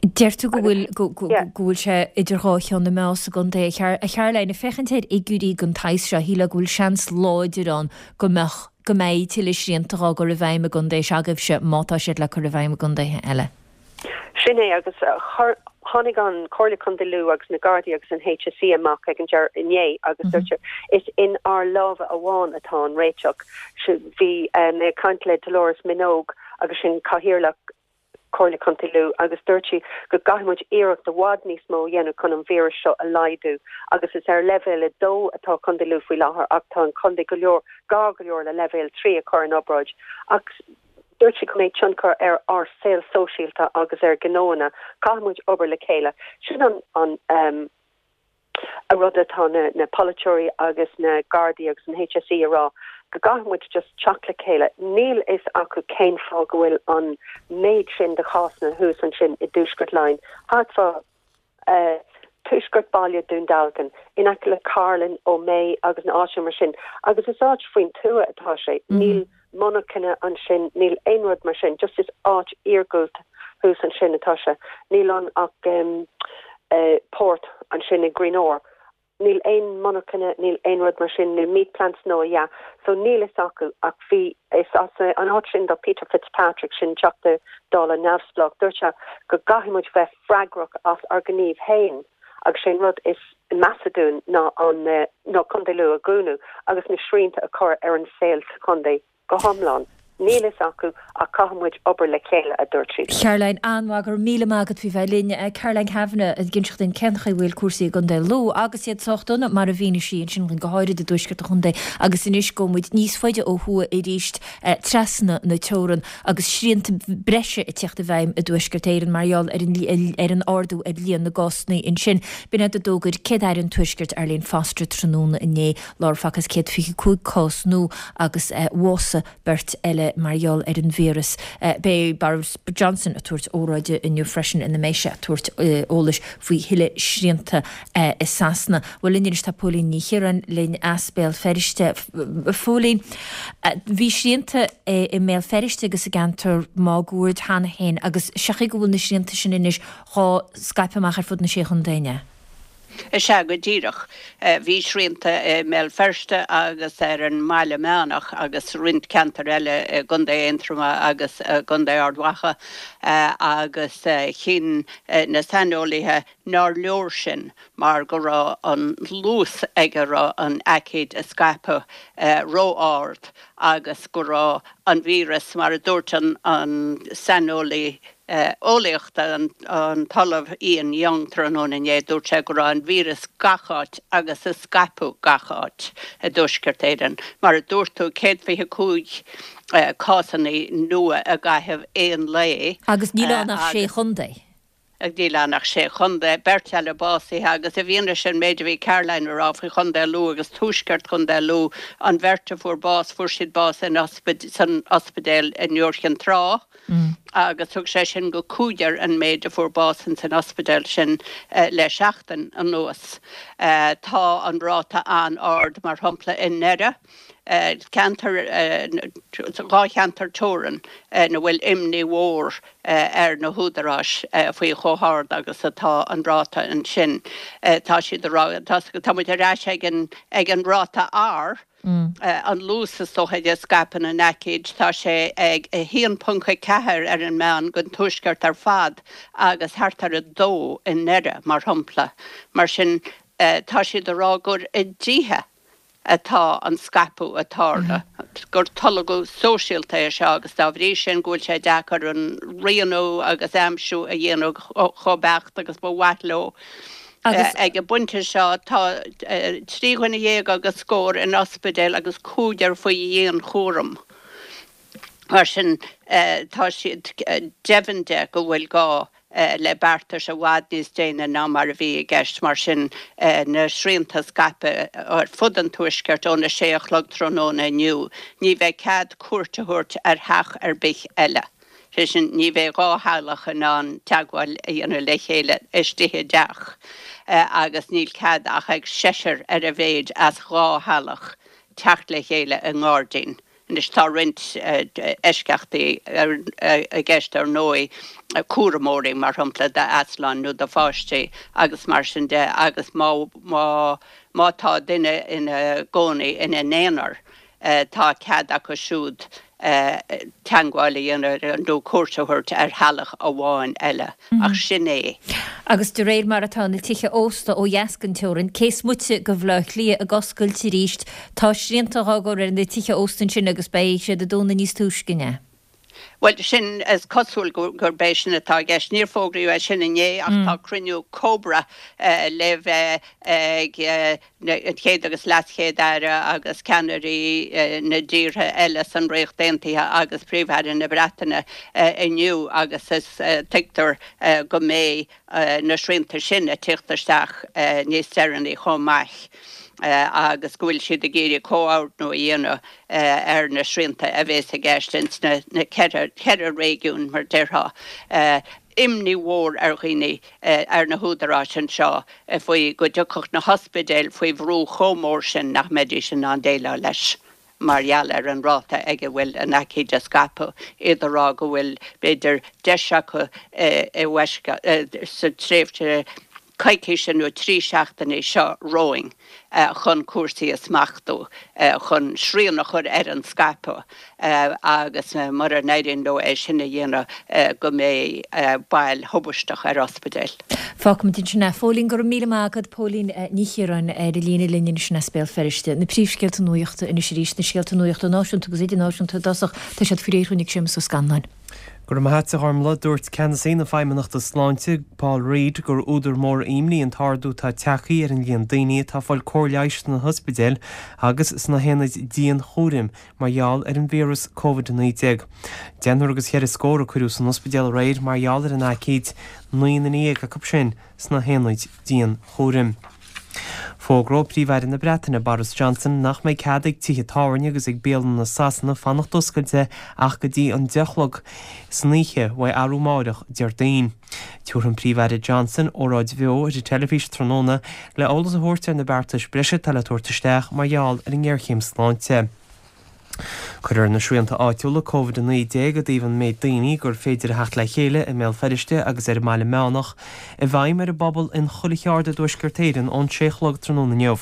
Deir tú go bhfuil, go bhfuil sé idir dhá cheann na meá sa gcontae. A Charoline, ag féachaint ar fhigiúirí den tsaghas seo, shílfeá go bhfuil seans láidir ann go mbeadh, go mbeidh tuilleadh srianta dhá gcur i bhfeidhm i gcontae se'agaibhse má tá siad le cur i bhfeidhm i gcontaetha eile. Sin é, agus chuir, tháinig an Comhairle Contae Lú agus na Gardaí agus an HSE amach ag an deireadh inné agus dúirt siad, is in ár lámha amháin atá an réiteach. Bhí mé ag caint le Dolores Minogue agus sin Cathaoirleach Comhairle Contae Lú agus dúirt sí go gcaithfidh muid iarracht i bhfad níos mó a dhéanamh chun an víreas seo a laghdú agus is ar leibhéal 2 atá Contae Lú faoi láthair ach tá an contae go leor, gar go leor le leibhéal 3 a chur in obráid ach dúirt sí go mbeidh tionchar ar ár saol sóisialta agus ar ghnóanna. Caithfidh muid obair le chéile. Sin an an rud atá na na polaiteoirí agus na Gardaí agus an HSE a rá, go gcaithfidh muid just teacht le chéile. Níl fhios acu cén fáth go bhfuil an méid sin de chásanna thuas ansin i dTuaisceart Laighean, thart fá tuaisceart baile Dún Dealgan, in aice le Cairlinn, Ó Méith agus na áiteanna mar sin. Agus is áit faoin tuath atá sé. Níl monarchana ansin, níl aon rud mar sin, just is áit iargúlta thuas ansin atá sé. Níl ann ach port ansin i Greenore. Níl aon monarchana, níl aon rud mar sin, níl meat plants nó a dhath, so níl fhios acu ach bhí, is as an áit sin do Peter Fitzpatrick, sin Teachta Dála neamhspleách, dúirt sé go gcaithfidh muid bheith freagrach as ár ngníomh féin agus sé an rud is measa dúinn ná an, ná Contae Lú a dhúnadh agus na srianta a chur ar an saol sa chontae. Go hiomlán. Níl fhios acu ach caithfidh muid obair le chéile, a dúirt sí. Caroline, An-mhaith, go raibh míle maith agat faoi bheith linn. Caroline Kavanagh ag inseacht dúinn cén chaoi a bhfuil cúrsaí i gContae Lú agus iad sách dona mar a mhínigh sí ansin dúinn, go háirid i dtuaisceart an chontae agus anois gabhfaidh muid níos faide ó thuaidh arís trasna na teorann agus srianta breise ag teacht i bhfeidhm i dTuaisceart Éireann mar gheall ar an ar an ardú ar líon na gcásanna ansin. B'in iad a d'fhógair Céad-Aire an Tuaiscirt Arlene Foster tráthnóna inné. Lár Facthas 125 cás nua agus bhásaigh beirt eile mar gheall ar an víreas. Beidh Boris Johnson ag tabhairt óráide inniu freisin ina mbeidh sé ag tabhairt eolais faoi thuilleadh srianta i Sasana. Bhuel linn anois tá Póilín Ní Chiaráin linn as Béal Feirste. A Phóilín, bhí srianta i mBéal Feirste agus i gceantar máguaird cheana féin agus sé chaoi go bhfuil na srianta sin anois dhá scaipeadh amach ar fud na Sé Chontae, an ea? Is ea go díreach. Bhí srianta i mBéal Feirste agus ar an mBaile Meánach agus roinnt ceantar eile i gContae Aontroma agus i gContae Ard Mhacha agus chinn na saineolaithe nár leor sin mar go raibh an luas ag a raibh an aicíd ag scaipeadh ró-ard agus go raibh an víreas, mar a dúirt an saineolaí eolaíochta, an tOllamh Ian Young tráthnóna inné, dúirt sé go raibh an víreas gach áit agus ag scaipeadh gach áit i dTuaisceart Éireann. Mar a dúirt tú, 125 cásanna nua i gcaitheamh aon lae. Agus níl ann ach sé chontae. Níl ann ach sé chontae, beirt eile básaithe agus i bhfianaise an méid a bhí Caroline a rá faoi Chontae Lú agus tuaisceart Chontae Lú, an bheirt a fuair bás, fuair siad bás in san ospidéal i nIúr Chinn Trá agus thug sé sin go cúigear an méid a fuair bás ins an ospidéal sin le seachtain anuas. Tá an ráta an-ard, mar shampla i nDoire, ceantar, dhá cheantar teorann ina bhfuil imní mhór ar na húdaráis faoi chomh hard agus atá an ráta ansin. Tá siad ag rá, tá muid ar ais ag an, ag an ráta R, an luas is dócha a scaipeann an aicíd, tá sé ag 1.4 ar an meán don tuaisceart ar fad agus thart ar 2 i nDoire, mar shampla. Mar sin, tá siad ag rá gur i dtithe. atá an scaipeadh ag tarlú, gur tolgadh sóisialta é seo agus dá bhrí sin go bhfuil sé deacair an rianú agus aimsiú a dhéanamh chomh beacht agus ba mhaith leo. Ag an bpointe seo tá 13 dhuine agus scór in ospidéal agus cúigear faoi dhianchúram. Mar sin tá siad deimhin de go bhfuil gá le beartais i bhfad níos déine ná mar a bhí i gceist. Mar sin, na srianta scaipthe ar fud an Tuaiscirt óna sé a chlog tráthnóna inniu, ní bheidh cead cuairt a thabhairt ar theach ar bith eile. Sé sin, ní bheidh 2 theaghlach in ann teagmháil a dhéanamh le chéile istigh i dteach agus níl cead ach ag seisear ar a mhéid as 2 theaghlach teacht le chéile i ngairdín. Anois tá roinnt eisceachtaí i gceist ar ndóigh, cúramóirí mar shampla d'easláin nó do pháistí agus mar sin de agus má má tá duine ina gcónaí ina n-aonar tá cead acu siúd teagmháil a dhéanamh nó cuairt a thabhairt ar theaghlach amháin eile ach sin é. Agus de réir mar atá na tithe ósta ó dheas den teorainn, cé is moite de Bhaile Átha Cliath ag oscailt arís, tá srianta á gcur ar na tithe ósta ansin agus beidh siad ag dúnadh níos túisce, an ea? Bhuel, sin, is cosúil gurb é sin atá i gceist. Níor fógraíodh é sin inné ach tá cruinniú Cobra le bheith ag an Chéad agus LeasChéad-Aire agus ceannairí na dtíortha eile san Ríocht Aontaithe agus Príomh-Aire na Breataine inniu agus is tuigtear go mbeidh na srianta sin ag tíocht isteach níos deireanaí chomh maith agus go bhfuil siad ag iarraidh comhordnú a dhéanamh ar na srianta a bhéas i gceist ins na ceithre réigiún mar déarfá. Imní mhór ar dhaoine ar na húdaráis anseo faoi go dtiocfadh na hospidéil faoi bhrú chomh mór sin nach mbeidís in ann déileáil leis mar gheall ar an ráta ag a bhfuil an aicíd ag scaipeadh, iad ag rá go bhfuil, b'fhéidir, deis acu i sa tréimhse coicíse nó 3 seachtainí seo romhainn chun cúrsaí a smachtú, chun srian a chur ar an scaipeadh agus mura n-éiríonn leo é sin a dhéanamh go mbeidh bail thubaisteach ar ospidéil. Fágfaimid ansin é. Phóilín, go raibh míle maith agat. Póilín Ní Chiaráin ar an líne linn ansin as Béal Feirste. Na príomhscéalta nuachta anois arís, na scéalta nuachta náisiúnta agus idirnáisiúnta i dtosach, tá siad faoi réir dhúinn ag Séamus Ó Scanláin. Go raibh maith agat, a Ghormlaith. Dúirt Ceannasaí na Feidhmeannachta Sláinte, Paul Reid, gur údar mór imní an t-ardú atá tagtha ar an líon daoine atá ag fáil cóir leighis sna hospidéil agus sna haonaid dianchúraim mar gheall ar an víreas Covid-19. Deichniúr agus cheithre scór a cuireadh san ospidéal aréir mar gheall ar an aicíd, 19 nduine acu sin sna haonaid dianchúraim. Fógróidh Príomh-Aire na Breataine, Boris Johnson, nach mbeidh cead ag tithe tábhairne agus ag bialanna Sasana fanacht oscailte ach go dtí an 10 a chlog san oíche uaidh arú amáireach, Déardaoin. Tabharfaidh an Príomh-Aire Johnson óráid bheo ar an teilifís tráthnóna le eolas a thabhairt ar na beartais breise atá le tabhairt isteach mar gheall ar an ngéarchéim sláinte. Cuirfear na srianta áitiúla Covid-19 i dtaobh an méid daoine gur féidir a theacht le chéile i mBéal Feirste agus ar an mBaile Meánach i bhfeidhm ar an bpobal in chuile cheard i dTuaisceart Éireann ón sé a chlog tráthnóna inniu.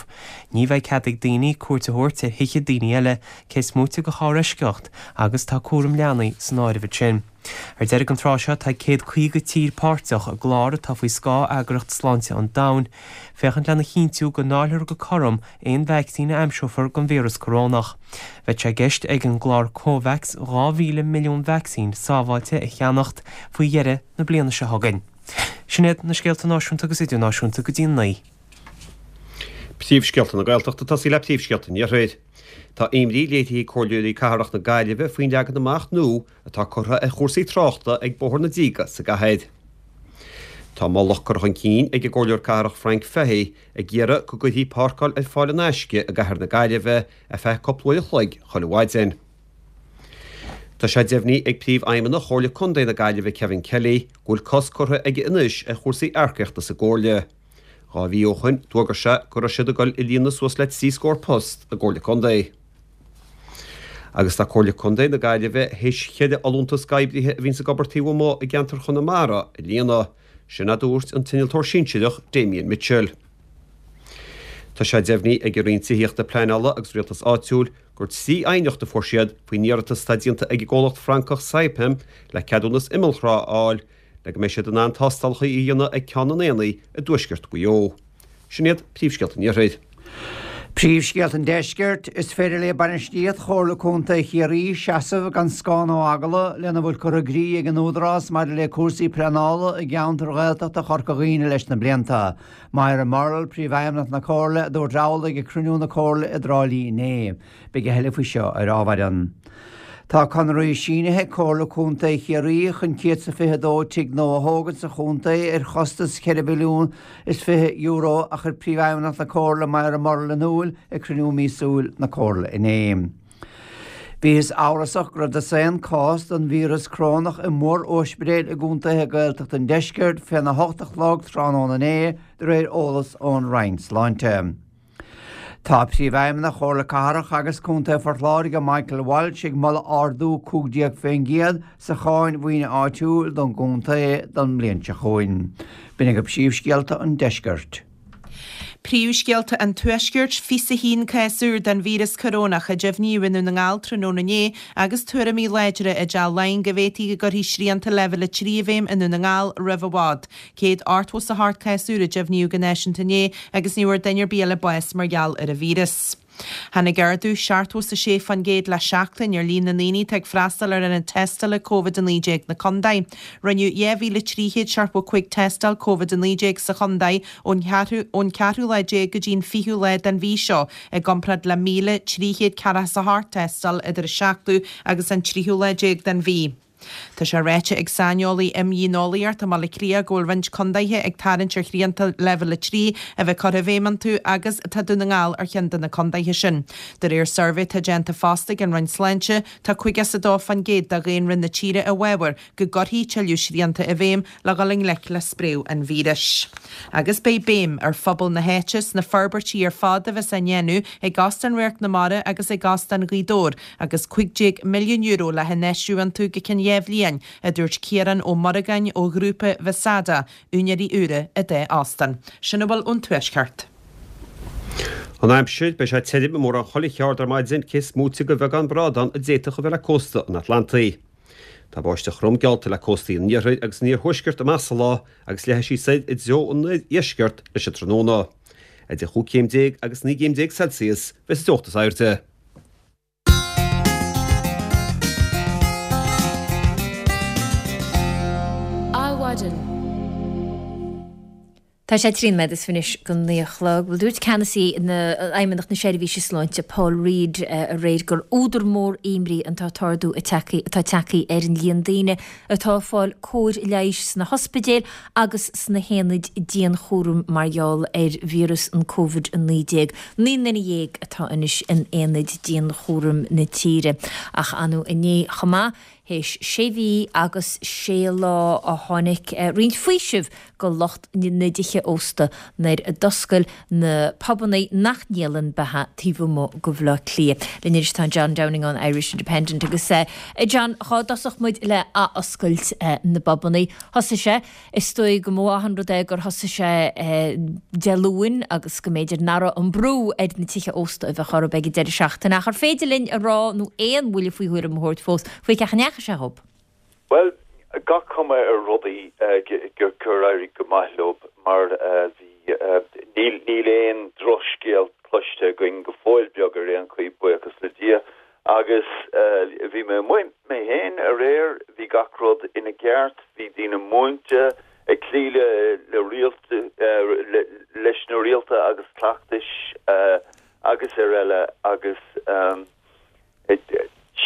Ní bheidh cead ag daoine cuairt a thabhairt ar thithe daoine eile, cé is móite de sháreisceacht, agus tá cúram leanaí san áireamh ansin. Ar deireadh an tráth seo tá 150 tír páirteach i gclár atá faoi scáth Eagraíocht Sláinte an Domhain, féachaint lena chinntiú go ndáilfear go cothrom aon vacsaín a aimseofar don víreas corónach. Bheadh sé i gceist ag an gclár Covax 2,000 milliún vacsaín sábháilte a cheannacht faoi dheireadh na bliana seo chugainn. Sin iad na scéalta náisiúnta agus idirnáisiúnta go dtí a 9. Príomhscéalta na Gaeltachta ag tosaí le príomhscéalta an Iarthair. Tá imní léirithe ag Comhairleoirí Cathrach na Gaillimhe faoin leagan amach nua atá curtha ar chúrsaí tráchta ag Bóthar na Díge sa gcathair. Tá moladh curtha chun cinn ag an gComhairleoir Cathrach Frank Fahy ag iarraidh go gcuirfí páirceáil ar fáil in aisce i gcathair na Gaillimhe ar feadh cúpla uair a chloig chuile mhaidin. Tá sé deimhnithe ag Príomhfheidhmeannach Chomhairle Contae na Gaillimhe Kevin Kelly go bhfuil cosc curtha aige anois ar chúrsaí earcaíochta sa gComhairle. 2 mhí ó shoin d'fhógair sé go raibh siad ag dul a líonadh suas le 3 scór post i gComhairle Contae. Agus tá Comhairle Contae na Gaillimhe théis cheithre fholúntas d'oibrithe a bhíonns ag obair taobh amuigh i gceantar Chonamara a líonadh. Sin a dúirt an t-innealtóir sinsearach Damien Mitchell. Tá sé deimhnithe ag an Roinn Tithíochta, Pleanála agus Rialtais Áitiúil gur 3 aighneacht a fuair siad faoin iarratas atá déanta ag an gcomhlacht Francach Saipem le ceadúnas imeallthrá a fháil le go mbeidh siad in ann tástálacha a dhéanamh ag Ceann an Aonaigh i dtuaisceart Mhaigh Eo. Sin iad príomhscéalta an Iarthair. Príomhscéalta an Deiscirt, Is féidir le bainistíocht Chomhairle Contae Chiarraí seasamh gan scáth ná eagla lena bhfuil curtha i gcrích ag an Údarás maidir le cúrsaí pleanála i gceantair Ghaeltachta Chorca Dhuibhne leis na blianta. Moira Murrell, Príomhfheidhmeannach na Comhairle, a dúirt amhlaidh ag cruinniú na Comhairle i dTrá Lí inné. Beidh a thuilleadh faoi seo ar ámhaireann. Tá conarthaí sínithe ag Comhairle Contae Chiarraí chun 122 tigh nua a thógaint sa chontae ar chostas €4 mhilliún €20 a chuir Príomhfheidhmeannach na Comhairle Moira Murrell in iúil ag cruinniú míosúil na Comhairle inné. Bhíothas amhrasach go raibh dosaen cás den víreas corónach i mór-ospidéil i gcontaetha Gaeltachta an deiscirt féna hocht a chlog tráthnóna inné, de réir eolas ón Roinn Sláinte. Tá Príomhfheidhmeannach Chomhairle Cathrach agus Contae Phort Láirge Michael Walsh ag moladh ardú 15% sa cháin mhaoine áitiúil don gcontae don mbliain seo chugainn. B'in agaibh príomhscéalta an deiscirt. Príomhscéalta an Tuaiscirt, 21 cás úr den víreas corónach a deimhníodh i nDún na nGall tráthnóna inné agus tuairimí láidre i dTeach Laighean go bhféadfaí go gcuirfí srianta Leibhéal 3 i bhfeidhm i nDún na nGall roimh i bhfad. 188 cás úr a deimhníodh go náisiúnta inné agus ní bhfuair duine ar bith eile bás mar gheall ar an víreas. Tháinig ardú 76% le seachtain ar líon na ndaoine atá ag freastal ar ionad tástála Covid-19 na contae. Rinneadh 2,375 tástáil Covid-19 sa chontae ón cheathrú lá déag go dtí an fichiú lá den mhí seo, i gcomparáid le 1,348 tástáil idir an seachtú agus an tríú lá déag den mhí. Tá sé ráite ag saineolaí imdhíoneolaíochta i mBaile Átha Cliath go bhfuil roinnt contaetha ag tarraingt ar shrianta Leibhéal 3 a bheith curtha i bhfeidhm iontu agus tá Dún na nGall ar cheann de na contaetha sin. De réir suirbhé atá déanta fosta ag an Roinn Sláinte, tá 52% de dhaonra na tíre i bhfabhar go gcuirfí tuilleadh srianta i bhfeidhm le dhul i ngleic le spréadh an víris. Agus beidh béim ar phobal na háite sna forbairtí ar fad a bheas á ndéanamh ag Óstán Radharc na Mara agus ag Óstán Ghaoth Dobhair agus €15 milliún le hinfheistiú iontu go ceann 2 bhliain, a dúirt Ciarán Ó Muireagáin ó ghrúpa Visada, úinéirí úra an dá óstán. Sin a bhfuil ón Tuaisceart. An aimsir, Beidh sé tirim i mórán chuile cheard ar maidin, cé is móite de bheagán brádán a d'fhéadfadh a bheith le cósta an Atlantaigh. Tá báisteach throm geallta le cóstaí an iarthair agus an iarthuaiscirt amach sa lá agus leathfaidh sí soir i dtreo an oirdheiscirt leis an tráthnóna. Idir chúig chéim déag agus naoi gcéim déag Celsius bheas an teocht is airde. Adhmhaidin. Tá sé 13 nóiméad anois go 9 a chlog. Bhuel, dúirt ceannasaí Fheidhmeannacht na Seirbhíse Sláinte, Paul Reid, aréir gur údar mór imní an t-ardú atá tagtha ar an líon daoine atá ag fáil cóir leighis sna hospidéil agus sna haonaid dianchúraim mar gheall ar víreas an Covid-19. 19 nduine atá anois in aonaid dianchúraim na tíre. Ach anú inné chomh maith, théis sé mhí agus sé lá a tháinig roinnt faoisimh go lucht na dtithe ósta nuair a d'oscail na pubanna nach ndíolann beatha taobh amuigh de Bhaile Átha Cliath. Linn anois tá John Downing ón Irish Independent agus a John, dhá dtosódh muid le athoscailt na bpubanna, thosaigh sé, is dóigh go mba mhaith an rud é gur thosaigh sé Dé Luain agus go mb'fhéidir nach raibh an brú ar na tithe ósta a bheadh orthu ag an deireadh seachtaine ach ar féidir linn a rá nó aon bhuille faoi thuairim a thabhairt fós faoi cén chaoi a ndeachaigh sé dhób? Bhuel, gach cuma ar rudaí gur éirigh go maith leo mar bhí, níl, níl aon drochscéal cloiste againn go fóill beag ar aon chaoi, buíochas le Dia. Agus bhí mé amuigh mé féin aréir, bhí gach rud ina gceart, bhí daoine múinte ag cloí le le rialta, leis na rialta agus cleachtais agus ar eile agus.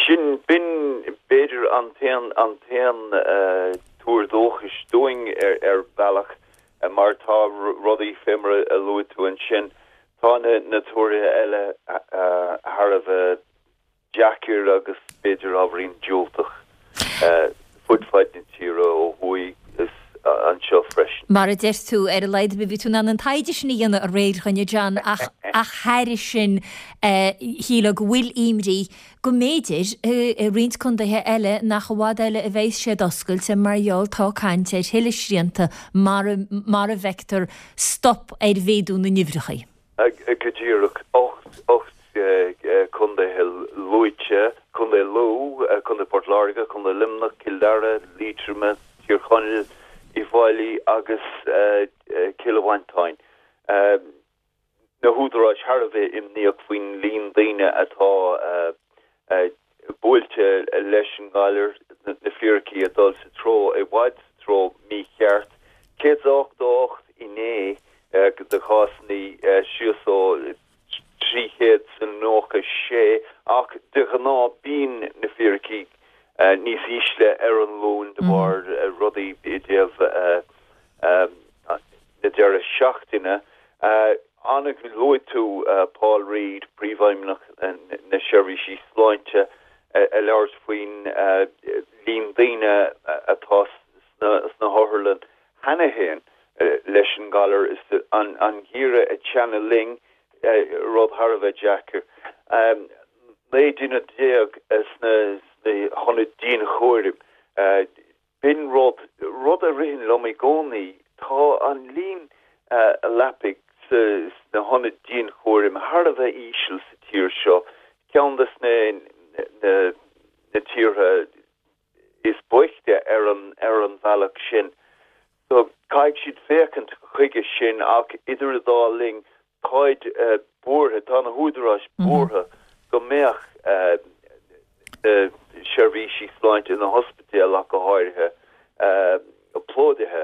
Sin, b'in b'fhéidir an t-aon, an t-aon tuar dóchais dúinn ar bhealach mar tá rudaí fé mar a luaigh tú ansin, tá na tuartha eile thar a bheith deacair agus b'fhéidir ábhairín diúltach fud fad na tíre ó thuaidh is anseo freisin. Mar a deir tú, ar a laghad bhí tú in ann an taighde sin a dhéanamh aréir, a dhuine John, ach ach thairis sin shílfeá go bhfuil imní go mb'fhéidir i roinnt contaetha eile nach i bhfad eile a bheidh siad oscailte mar gheall tá caint ar thuilleadh srianta mara mara bhfeictear stop ar mhéadú na n-uimhreacha. Go díreach. 8 contaetha luaite, Contae Lú, Contae Port Láirge, Contae Luimneach, Cill Dara, Liatroma, Tír Chonaill, Uíbh Fhailí agus Cill Mhantáin. na húdaráis thar a bheith imníoch faoin líon daoine atá buailte leis an ngalar, na fíricí ag dul sa treo, i bhfad sa treo mícheart. 188 inné de chásanna síos ó 396 ach de ghnáth bíonn na fíricí níos ísle ar an Luan de bharr rudaí i dtaobh na deireadh seachtaine. An luaigh tú Paul Reid, Príomhfheidhmeannach na Seirbhísí Sláinte, ag labhairt faoin líon daoine atá sna hotharlann cheana féin leis an ngalar is an geimhreadh ag teannadh linn, rud thar a bheith deacair. 19 duine sna hionaid dianchúraim. B'in rud, rud a ritheann liom i gcónaí, tá an líon leapaí sna hionaid dianchúraim thar a bheith íseal sa tír seo, ceann de na tíortha is boichte ar an ar an bhealach sin. So caithfidh siad féachaint chuige sin ach idir an dá linn Táid buartha, tá na húdaráis buartha go mbeadh na seirbhísí sláinte, na hospidéil ach go háirithe, plódaithe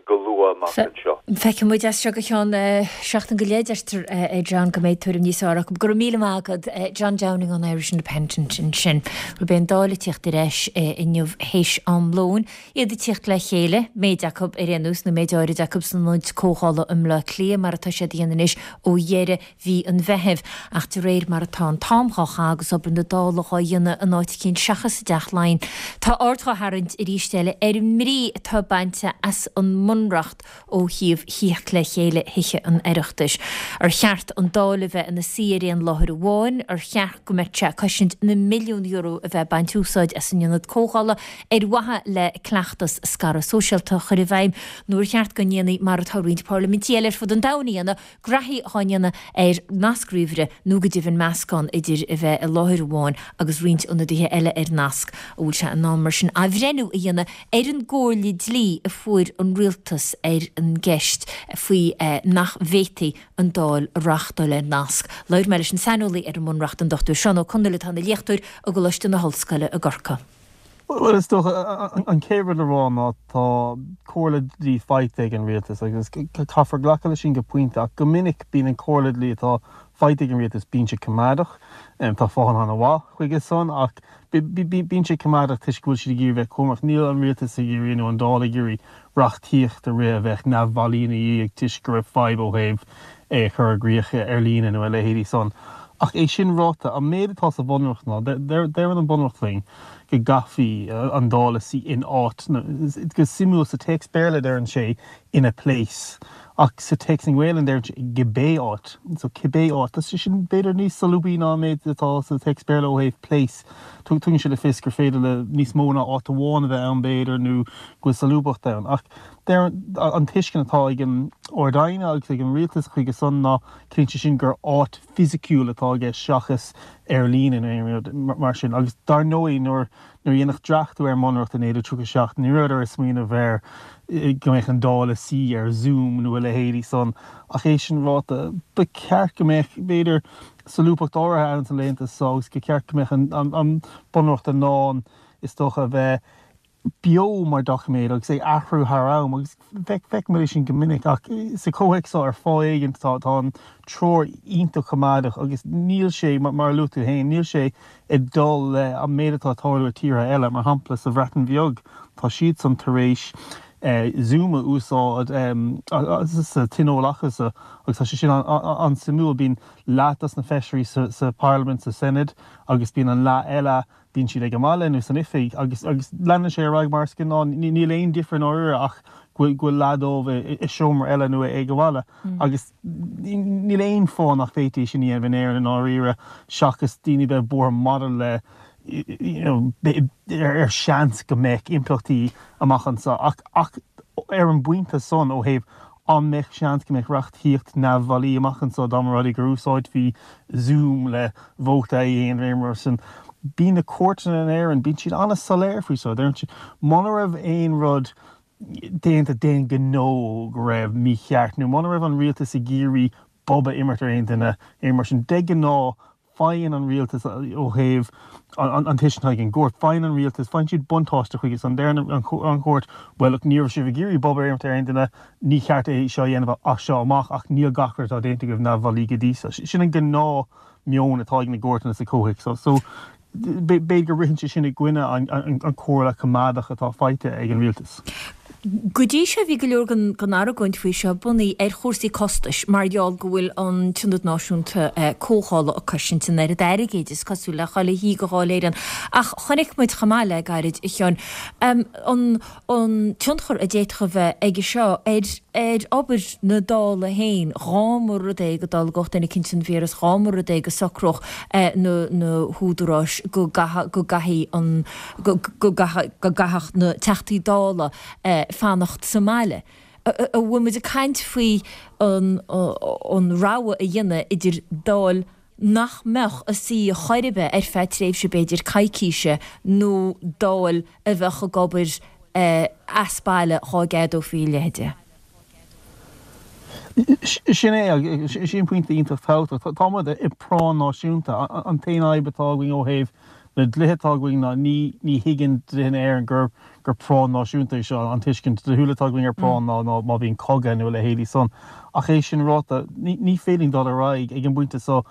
go luath amach anseo. Feicfidh muid as seo go ceann seachtain go leith, deirtear, a John, go mbeidh tuairim níos fearr acu. Go raibh míle maith agat, John Downing ón Irish Independent ansin. Bhuel, beidh an Dáil ag tíocht ar ais inniu théis am lóin. Iad ag tíocht le chéile, méid acu ar aon nós, nó méid áirid acu san Ionad Comhdhála i mBleá Cliath, mar atá siad a dhéanamh anois ó dheireadh mhí an Mheithimh. Ach de réir mar atá an t-am dhá chaitheamh agus obair na Dála dhá dhéanamh in áit eicínt seachas i dTeach Laighean, tá aird dhá tharraingt arís eile ar an mbrí atá bainte as an mBunreacht ó thaobh thíocht le chéile Thithe an Oireachtais. Ar cheart an Dáil a bheith ina suí ar aon láthair amháin? Ar cheart go mbeadh sé ag cosaint na milliún euro a bheith ag baint úsáid as an Ionad Comhdhála ar mhaithe le cleachtas scaradh sóisialta a chur i bhfeidhm? Nó ar cheart go ndéanfaí mar atá roinnt parlaimintí eile ar fud an domhain a dhéanamh, graithí dhá ndéanamh ar nasc ríomhaire nó go deimhin meascán idir a bheith i láthair amháin agus roinnt ionadaithe eile ar nasc. An bhfuil sé in am mar sin athbhreithniú a dhéanamh ar an gcomhairle dlí a fuair an rialtas ar an gceist faoi nach bhféadfaí an Dáil a reáchtáil ar nasc? Labhair mé leis an saineolaí ar an mBunreacht, an Dr Seán Ó Conghaile atá ina léachtóir i gColáiste na hOllscoile i gCorcaigh. Bhuel, is dócha, an chéad rud le rá ná tá comhairle dlí faighte ag an rialtas agus caithfear glacadh leis sin go pointe ach go minic bíonn an chomhairle dlí atá faighte ag an rialtas, bíonn sé coimeádach. Tá fáthanna an-mhaith chuige san ach bíonn sé coimeádach toisc go bhfuil siad ag iarraidh bheith cúramach. Níl an rialtas ag iarraidh nó an Dáil ag iarraidh reachtaíocht a rith a bheadh neamhbhailí ina dhiaidh toisc go raibh fadhb ó thaobh é a chur i gcrích ar líne nó a leithéidí san. Ach é sin ráite, an méid atá sa Bhunreacht ná, deireann an Bunreacht linn go gcaithfí an Dáil a suí in áit, go suimiúil sa téacs Béarla deireann sé in a place ach sa téacs i nGaelainn deireann sé i gcibé áit. So cibé áit. Tá sé sin b'fhéidir níos solúbthaí ná an méid atá sa téacs Béarla ó thaobh place. Tugann sé le fios gur féidir le níos mó ná áit amháin a bheith ann b'fhéidir nó go bhfuil solúbthacht ann. Ach deir an tuiscint atá ag an Ard-Aighne agus ag an Rialtas chuige san ná ciallaíonn sé sin gur áit fisiciúil atá i gceist seachas ar líne nó aon rud mar sin. Agus dar ndóigh nuair a dhéanadh dreachtú ar an mBunreacht i 1937 ní rabhadar ag smaoineamh ar go mbeadh an Dáil ag suí ar Zoom nó a leithéidí san. Ach é sin ráite, ba cheart go mbeadh, b'fhéidir, solúbthacht áirithe ann sna laethanta seo agus go ceart go mbeadh an Bunreacht in ann, is dócha, a bheith beo mar doiciméad agus é athrú thar am agus feicimid é sin go minic ach sa chomhthéacs seo ar fáth éigin tá an treoir iontach coimeádach agus níl sé, mar a luaigh tú féin, níl sé ag dul le an méid atá ag tarlú i tíortha eile. Mar shampla sa Bhreatain Bheag tá siadsan tar éis Zoom a úsáid sa tionól acusan agus tá sé sin an-suimiúil. Bíonn leath dos na feisirí sa Pharlaimint, sa Senedd agus bíonn an leath eile bíonn siad ag an mbaile nó san oifig agus agus leanann sé ar aghaidh mar is gnáth. Níl aon difear i ndáiríre ach go bhfuil go bhfuil leath dóibh i seomra eile nó ag an bhaile agus níl aon fáth nach bhféadfaí sin a dhéanamh in Éirinn i ndáiríre seachas daoine bheith buartha maidir le you know ar seans go mbeadh impleachtaí amach anseo ach ach ar an bpointe san ó thaobh An mbeadh seans go mbeadh reachtaíocht neamhbhailí amach anseo dá mba rud é gur úsáidfí Zoom le vóta a dhéanamh aon rud mar sin? Bíonn na cúirteanna in Éirinn, bíonn siad an-soiléir faoi seo. Deireann siad, muna raibh aon rud déanta d'aon ghnó go raibh mícheart nó muna raibh an rialtas ag iarraidh. bob a imirt ar aon duine, aon mar sin. De ghnáth, faigheann an rialtas ó thaobh an tuiscint atá ag an gcúirt, faigheann an rialtas, faigheann siad buntáiste chuige san. Deireann an chúirt, bhuel look, ní raibh sibh ag iarraidh bob a imirt ar aon duine, ní ceart é seo a dhéanamh as seo amach ach níl gach rud atá déanta agaibh neamhbhailí go dtí seo. Sin an gnáth meon atá ag na gcúirteanna sa chomhthéacs seo. So, B'fhéidir go ritheann sé sin i gcoinne an comhairle coimeádach atá faighte ag an rialtas. Go dtí seo bhí go leor den argóint faoi seo bunaithe ar chúrsaí costais mar gheall go bhfuil an tIonad Náisiúnta Comhdhála ag cosaint an oiread airgid, is cosúil, le chuile shuí de Dháil Éireann. Ach chonaic muid chomh maith le gairid, a Sheáin, an an tionchar a d'fhéadfadh a bheith aige seo ar ar obair na Dála féin dhá mba rud é go dtolgfadh duine eicínt an víreas, dhá mba rud é go socródh na na húdaráis go gcaithfeadh go gcaithfidh an go go gcaithfeadh go gcaithfeadh na Teachtaí Dála fanacht sa mbaile. An bhfuil muid ag caint faoi an an rogha a dhéanamh idir Dáil nach mbeadh ag suí chor ar bith ar feadh tréimhse b'fhéidir coicíse nó Dáil a bheadh ag obair as baile dhá gceadófaí a leithéid de. Sin é, sin pointe iontach tábhachtach. Tá muid i bpráinn náisiúnta. An t-aon fhadhb atá againn ó thaobh na dlíthe atá againn ná ní ní thuigeann dlíthe na hÉireann gur gur práinn náisiúnta é seo. An tuiscint dlíthiúil atá againn ar práinn ná ná má bhíonn cogadh nó a leithéidí san. Ach é sin ráite, ní ní féidir linn dul ar aghaidh ag an bpointe seo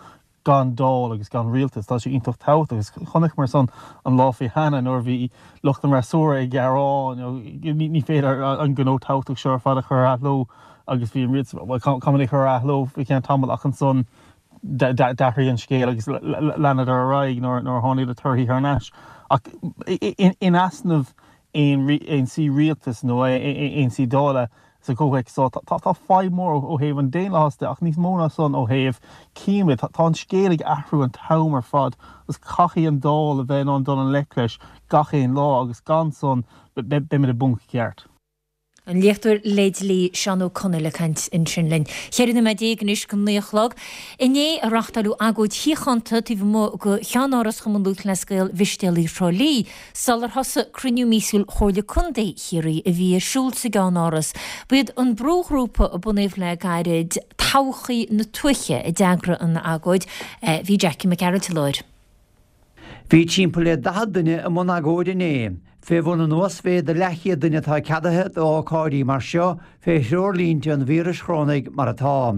gan Dáil agus gan rialtas. Tá sé iontach tábhachtach agus chonaiceamar san an lá faoi cheana nuair a bhí lucht an fhreasúra ag gearán ní ní féidir an gnó tábhachtach seo ar fad a chur ar athló agus bhí an rialtas bhuel caithfimid é a chur ar athló faoi cheann tamaill ach ansan D'athraigh an scéal agus leanadar ar aghaidh nuair a tháinig na torthaí thar n-ais. Ach in easnamh aon suí rialtais nó aon suí Dála sa chomhthéacs seo, tá fadhb mhór ó thaobh an daonlathais de ach níos mó ná san ó thaobh címid. Tá an scéal ag athrú an t-am ar fad agus caithfidh an Dáil a bheith in ann dul i ngleic leis gach aon lá agus gan san beimid i bponc ceart. An léachtóir le dlí Seán Ó Conaill ag caint ansin linn. 14 nóiméad anois go 9 a chlog. Inné a reáchtáileadh agóid shíochánta taobh amuigh de cheannáras Chumann Lúthchleas Gael Mhistéalaigh Thrá Lí sular thosaigh cruinniú míosúil Chomhairle Contae Chiarraí a bhí ar siúl sa gceannáras. Ba iad an brúghrúpa a bunaíodh le gairid, Todhchaí na Tuaithe, a d'eagraigh an agóid. Bhí Jackie Mac Gearailt i láthair. Bhí timpeall le 40 duine i mbun agóide inné, fé bhun an uasmhéid de leathchéad duine atá ceadaithe d'ócáidí mar seo fé threoirlínte an víris chorónaigh mar atá.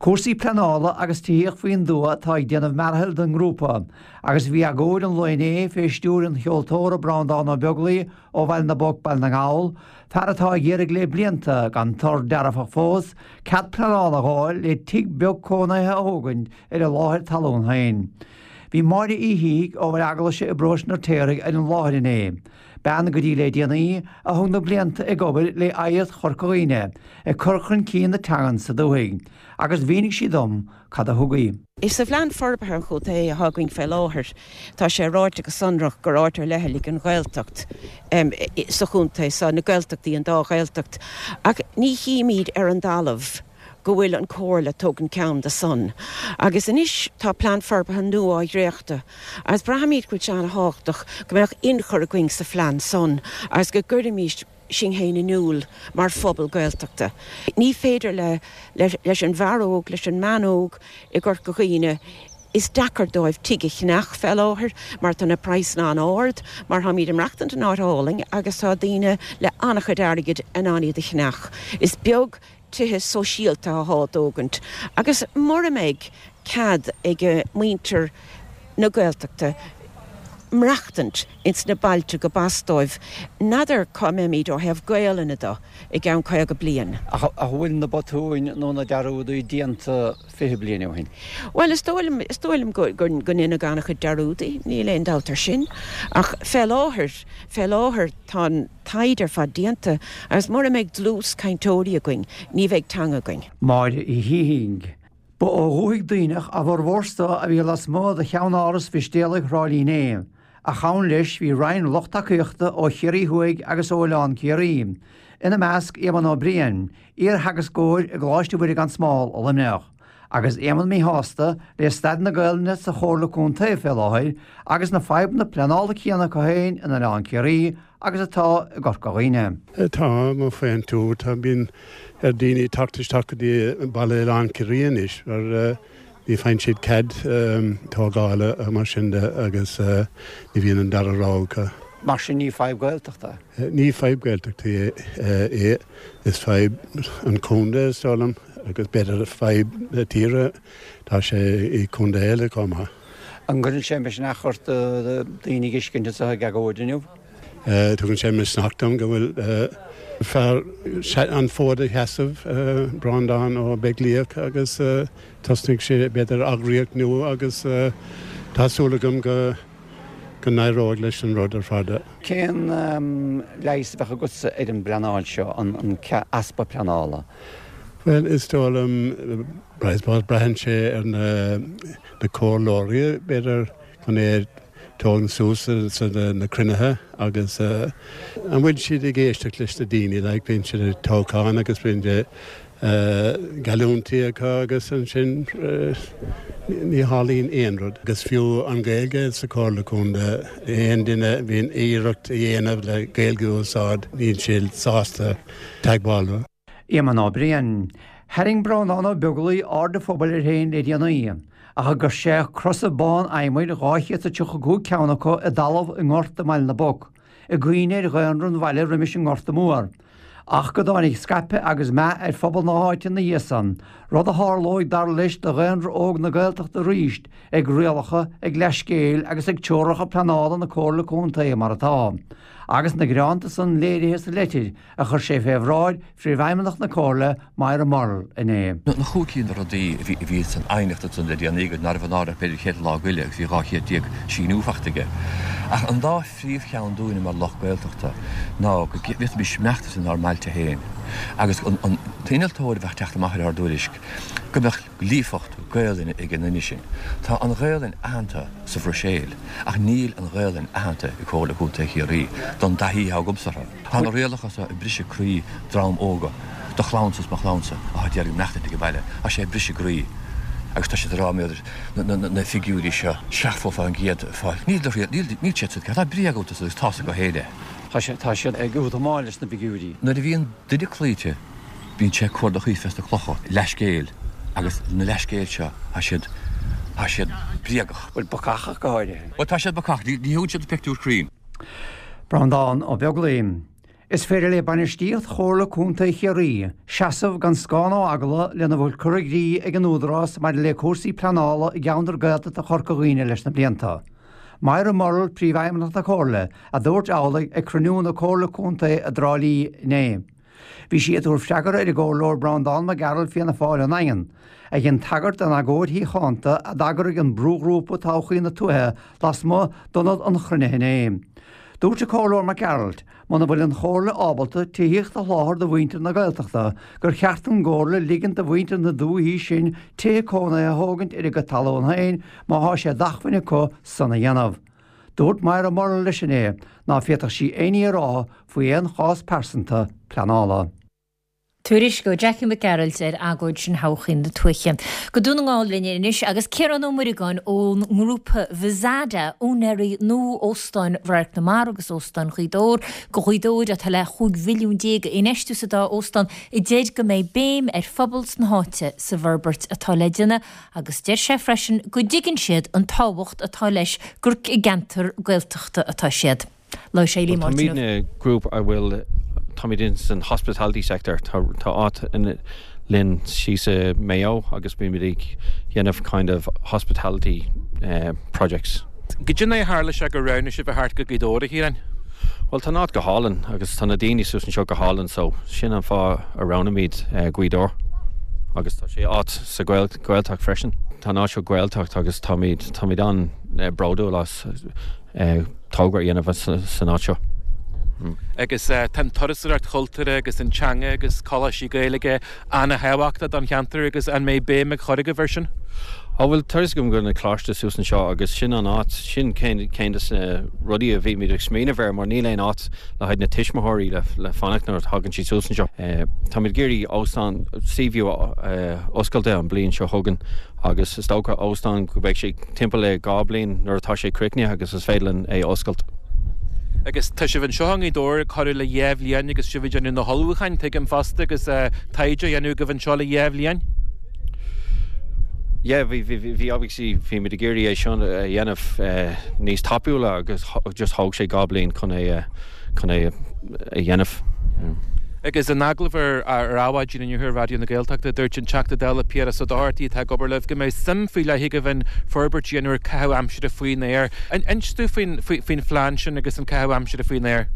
Cúrsaí pleanála agus tithíocht faoin dtuath atá ag déanamh mearathaill don ngrúpa agus bhí agóid an lae inné fé stiúir an cheoltóra Breandán Ó Beaglaoi ó Bhaile na bPoc, Baile na nGall, fear atá ag iarraidh le blianta, gan toradh dearfach fós, cead pleanála a dh'fháil le tigh beag cónaithe a thógaint ar a láthair talún féin. Bhí Máire Uí Shíthigh ó Bhaile Eaglaise i bparóiste an Fheirtéaraigh ar an láthair inné, bean go dtí le déanaí a thug na blianta ag obair le Oidhreacht Chorca Dhuibhne ag cur chun cinn na teangan sa dúthaigh, agus mhínigh sí dom cad a thug í. Sa phlean forbartha an chontae atá againn fé láthair, tá sé ráite go sonrach gur áit ar leithligh an Ghaeltacht sa chontae so, na Gaeltachtaí, an dá Ghaeltacht, ach ní chímíd ar an dtalamh go bhfuil an Comhairle ag tógaint ceann de san. Agus anois tá plean forbartha nua á dhréachtadh agus braithimid go bhfuil sé an-thábhachtach go mbeadh ionchur againn sa phlean san agus go gcuirfimís sinn féin in iúl mar phobal Gaeltachta. Ní féidir le leis an bhfear óg, leis an mbean óg i gCorca Dhuibhne, is deacair dóibh tigh a cheannach fé láthair mar tá na praghsanna an-ard, mar táimid ag maireachtaint in áit álainn agus tá daoine le an-chuid airgid in ann iad a cheannach. Is beag tithe sóisialta athá á dtógaint agus mura mbeidh cead ag muintir na Gaeltachta maireachtaint ins na bailte go b'as dóibh, n'fheadar cá mbeimíd ó thaobh Gaolainne do i gceann 50 bliain. Ach an bhfuil na botúin nó na dearúdaí déanta 20 bliain ó shin? Bhuel, is dóigh liom, is dóigh liom go, go ndeineadh an-chuid dearúdaí, níl aon dabht ar sin. Ach fé láthair, fé láthair tá an. taighde ar fad déanta agus mura mbeidh dlús cainteoirí againn, ní bheidh teanga againn. Máire Uí Shíthigh. Ba ó dhúthaigh Duibhneach a bhformhór a bhí lasmuigh de cheannáras Mhistéalaigh Thrá Lí inné, ach ann leis bhí roinnt lucht tacaíochta ó Chiarraí Thuaidh agus ó Oileán Ciarraí, ina measc Éamonn Ó Briain, iar-theagascóir i gColáiste Mhuire gan Smál i Luimneach. Agus Éamonn míshásta le staid na Gaelainne sa Chomhairle Contae fé láthair agus na fadhbanna pleanála céanna acu féin in Oileán Ciarraí agus atá i gCorca Dhuibhne. Tá, má faigheann tú, tá, bíonn ar daoine teacht isteach go dtí baile Oileán Ciarraí anois mar ní faigheann siad cead tógála mar sin de agus ní bhíonn an dara rogha acu. Mar sin ní fadhb Gaeltachta é? Ní fadhb Gaeltachta é, is fadhb an chontae is dóigh liom agus b'fhéidir fadhb na tíre, tá sé i contae eile chomh maith. An gcuireann sé misneach ort daoine a fheiscint anseo ag agóid inniu? Tugann sé misneach dom go bhfuil fear an fód a sheasamh, Breandán Ó Beaglaoich, agus tosnaigh sé b'fhéidir eagraíocht nua agus tá súil agam go go n-éireoidh leis an rud ar fad. Cén leigheas a bheadh agatsa ar an bpleanáil seo, an easpa pleanála? Bhuel, is dóigh liom, I suppose, braitheann sé ar na comhairleoirí, b'fhéidir, chun é a tógaint suas sa na cruinnithe agus an bhfuil siad ag éisteacht leis na daoine, like, bíonn siad ag toghchán agus bíonn geallúintí acu agus ansin ní tharlaíonn aon rud. Agus fiú an Ghaeilge sa Chomhairle Contae, aon duine a bhíonn iarracht a dhéanamh le Gaeilge a úsáid, níl siad sásta teagmháil leo. Éamonn Ó Briain. Tharraing Breandán Ó Beaglaoich aird an phobail air féin le déanaí, ach gur chuir sé crosa bán adhmaid, 235 ceann acu, i dtalamh i ngort i mBaile na bPoc. i gcuimhne ar dhaonra an bhaile roimis an nGorta Mór, ach go dtáinig scaipeadh agus meath ar phobal na háite ina dhiaidh san, rud a tharlóidh dar leis do dhaonra óg na Gaeltachta arís ag rialacha, ag leathscéal agus ag teoracha pleanála na Comhairle Contae mar atá, agus na gearánta san léirithe sa leitir a chuir sé fé bhráid Phríomhfheidhmeannach na Comhairle, Moira Murrell, inné. Na chúig cinn de rudaí a bhí san aighneacht ansan le déanaí go nárbh náireach b'fhéidir chéad lá goile agus bhí 12 chéad síniú fachta aige. Ach an dá phríomhcheann dúinne mar lucht Gaeltachta ná go bhféadfaimis maireachtaint inár mbailte féin agus an t-innealtóir a bheadh teacht amach ar ár dtuairisc go mbeadh líofacht Gaelainne ag an nduine sin. Tá an Ghaelainn aitheanta sa Bhruiséil ach níl an Ghaelainn aitheanta i Comhairle Contae Chiarraí don dtaithí atá agamsa orthu. Tá na rialacha seo ag briseadh croí dream óga, do chlannsa is mo chlannsa atá ag iarraidh maireachtaint ag an baile, tá sé ag briseadh a gcroí agus tá siad ag rá na figiúirí seo 70% fáil. Níl do thriail, níl, níl siad sa, tá bréag iontu agus tá's acu féin é. Tá sé, tá siad ag útamáil leis na figiúirí. Nuair a bhíonn duine cloíte, bíonn sé ag cuardach fés na clocha, leathscéil, agus na leathscéil seo, tá siad, tá siad bréagach. Bhuel, bacach ach go háirithe. Bhuel, tá siad bacach, ní, ní thugann siad pictiúr cruinn. Breandán Ó Beaglaoich. Is féidir le bainistíocht Chomhairle Contae Chiarraí seasamh gan scáth nó eagla lena bhfuil curtha i gcrích ag an Údarás maidir le cúrsaí pleanála i gceantar Gaeltachta Chorca Dhuibhne leis na blianta. Moira Murrell, Príomhfheidhmeannach na Comhairle, a dúirt amhlaidh ag cruinniú na Comhairle Contae i dTrá Lí inné. Bhí sí ag tabhairt freagra ar an gComhairleoir Breandán Mac Gearailt Fianna Fáil ón nDaingean, a dhein tagairt don agóid shíochánta a d'eagraigh an brúghrúpa Todhchaí na Tuaithe lasmuigh d'ionad an chruinnithe inné. Dúirt an Comhairleoir Mac Gearailt, muna bhfuil an Chomhairle ábalta tithíocht a sholáthar do mhuintir na Gaeltachta, gur cheart don gComhairle ligint do mhuintir na dúichí sin tithe cónaithe a thógaint ar a gcuid talún féin má thá sé d'acmhainn acu san a dhéanamh. Dúirt Moira Murrell leis inné ná féadfadh sí aon ní a rá faoi aon chás pearsanta pleanála. Tuairisc ó Jackie Mac Gearailt ar agóid sin Thodhchaí na Tuaithe. Go Dún na nGall linn anois agus Ciarán Ó Muireagáin ón ngrúpa Vizada, úinéirí nua Óstán Radharc na Mara agus Óstán Ghaoth Dobhair, go Ghaoth Dobhair atá le 15 mhilliún a infheistiú sa dá óstán, a deir go mbeidh béim ar phobal na háite sa bhforbairt atá le déanamh Agus deir sé freisin go dtuigeann siad an tábhacht atá leis gur i gceantar Gaeltachta atá siad. Labhair sé le Máirtín Ó. Táimidne grúpa a bhfuil, táimid in san hospitality sector, tá áit linn síos i Maigh Eo agus bímid ag dhéanamh kind of hospitality projects. Goidé an dóigh a tharla sé gur roghnaigh sibh a theacht go Gaoth Dobhair, a Chiaráin? Bhuel tá an áit go hálainn agus tá na daoine suas anseo go hálainn so sin an fáth a roghnaímid Gaoth Dobhair agus tá sé áit sa Ghaeltacht freisin. Tá an áit seo Gaeltacht agus táimid táimid an-bhródúil as togra a dhéanamh san áit seo. Agus tá an turasóireacht chultúrtha agus an teanga agus coláistí Gaeilge ana-thábhachtach don cheantar agus an mbeidh béim á cur agaibh air sin? Á bhuel, tá fhios agam go bhfuil an coláiste suas anseo agus sin an áit, sin ceann de na rudaí a bhímid ag smaoineamh air mar níl aon áit le haghaidh na tuismitheoirí le fanacht nuair a thagann siad suas anseo. Táimid ag iarraidh óstán Seaview a oscailt an bliain seo chugainn agus is dócha óstán go mbeidh sé timpeall le 2 bliain nuair atá sé críochnaithe agus is féidir linn é a oscailt. Agus tá sibh anseo i nGaoth Dobhair corradh le 2 bhliain agus sibh ag déanamh na hullmhúcháin, tuigim fosta, agus taighde á dhéanamh agaibh anseo le 2 bhliain? Yeah, bhí, bhí, bhí, obviously bhí muid ag iarraidh é seo a dhéanamh níos tapúla agus just thóg sé 2 bliain chun é chun é a dhéanamh. Agus in agallamh ar ar Adhmhaidin inniu ar Raidió na Gaeltachta, dúirt an Teachta Dála Piaras Ó Dochartaigh atá ag obair libh go mbeidh suim faoi leith agaibh in forbairt a dhéanamh ar caitheamh aimsire faoin aer. Inis dúinn faoin faoin phlean sin agus an caitheamh aimsire faoin aer.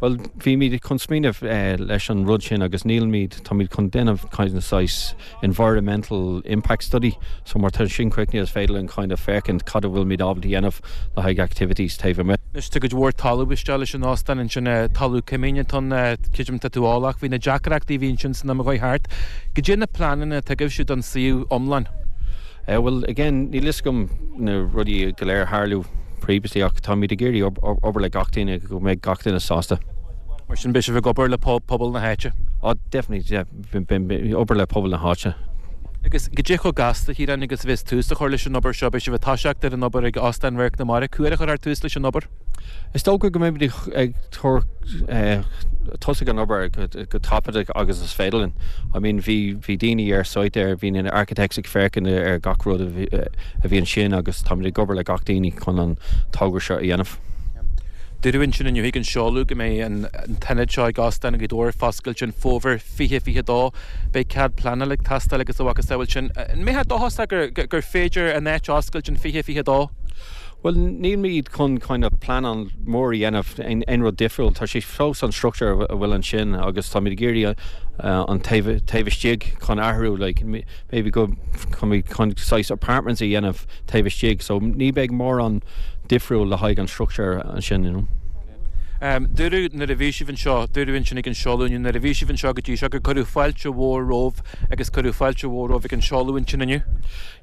Bhuel, bhímid chun smaoineamh leis an rud sin agus nílimid, táimid chun déanamh kind of saghas environmental impact study so mar tá sin críochnaithe is féidir linn kind of féachaint cad a bhfuilimid ábalta a dhéanamh le haghaidh activities taobh amuigh. Anois tá cuid mhór talamh isteach leis an óstán ansin, talamh coimín atá ann, creidim tá tú eolach faoi na deacrachtaí a bhí ansin san am a chuaigh thart. Goidé na pleananna atá agaibhse don suíomh iomlán? Eh bhuel again níl fhios agam na rudaí go léir a tharlú previously ach táimid ag iarraidh obair le gach duine go mbeidh gach duine sásta. Mar sin beidh sibh ag obair le pobal na háite? Oh definitely yeah. Obair le pobal na háite. Agus goidé chomh gasta, a Chiaráin, agus a bheas tús a chur leis an obair seo? Beidh sibh ag toiseacht ar an obair ag Óstán Radharc na Mara. Cá huair a chuirfear tús leis an obair? Is dócha go mbeimid ag tabhairt tosaigh an obair go tapaidh agus is féidir linn. I mean bhí bhí daoine ar site there, bhí na architects ag féachaint ar gach rud a bhí ansin agus táimid ag obair le gach daoine chun an togra seo a dhéanamh. Dúradh ansin inniu ag an seoladh go mbeidh an t-ionad seo ag Óstán Ghaoth Dobhair foscailte in Fómhar 2022. Beidh cead pleanála ag teastáil agus a mhacasamhail sin. An mbeifeá dóchasach gur féidir an áit a oscailt in 2022? Bhuel, nílimid chun kind of pleanáil mór a dhéanamh, aon rud difriúil. Tá sé fós an structure a bhfuil ansin agus táimid ag iarraidh an taobh taobh istigh chun athrú like maybe go chun saghas apartments a dhéanamh taobh istigh so ní beidh mórán difriúil le haghaidh an structure ansin you know. Dúradh nuair a bhí sibh anseo, dúradh ansin ag an seoladh inniu, nuair a bhí sibh anseo go dtí seo gur cuireadh fáilte mhór romhaibh agus cuireadh fáilte mhór romhaibh ag an seoladh ansin inniu.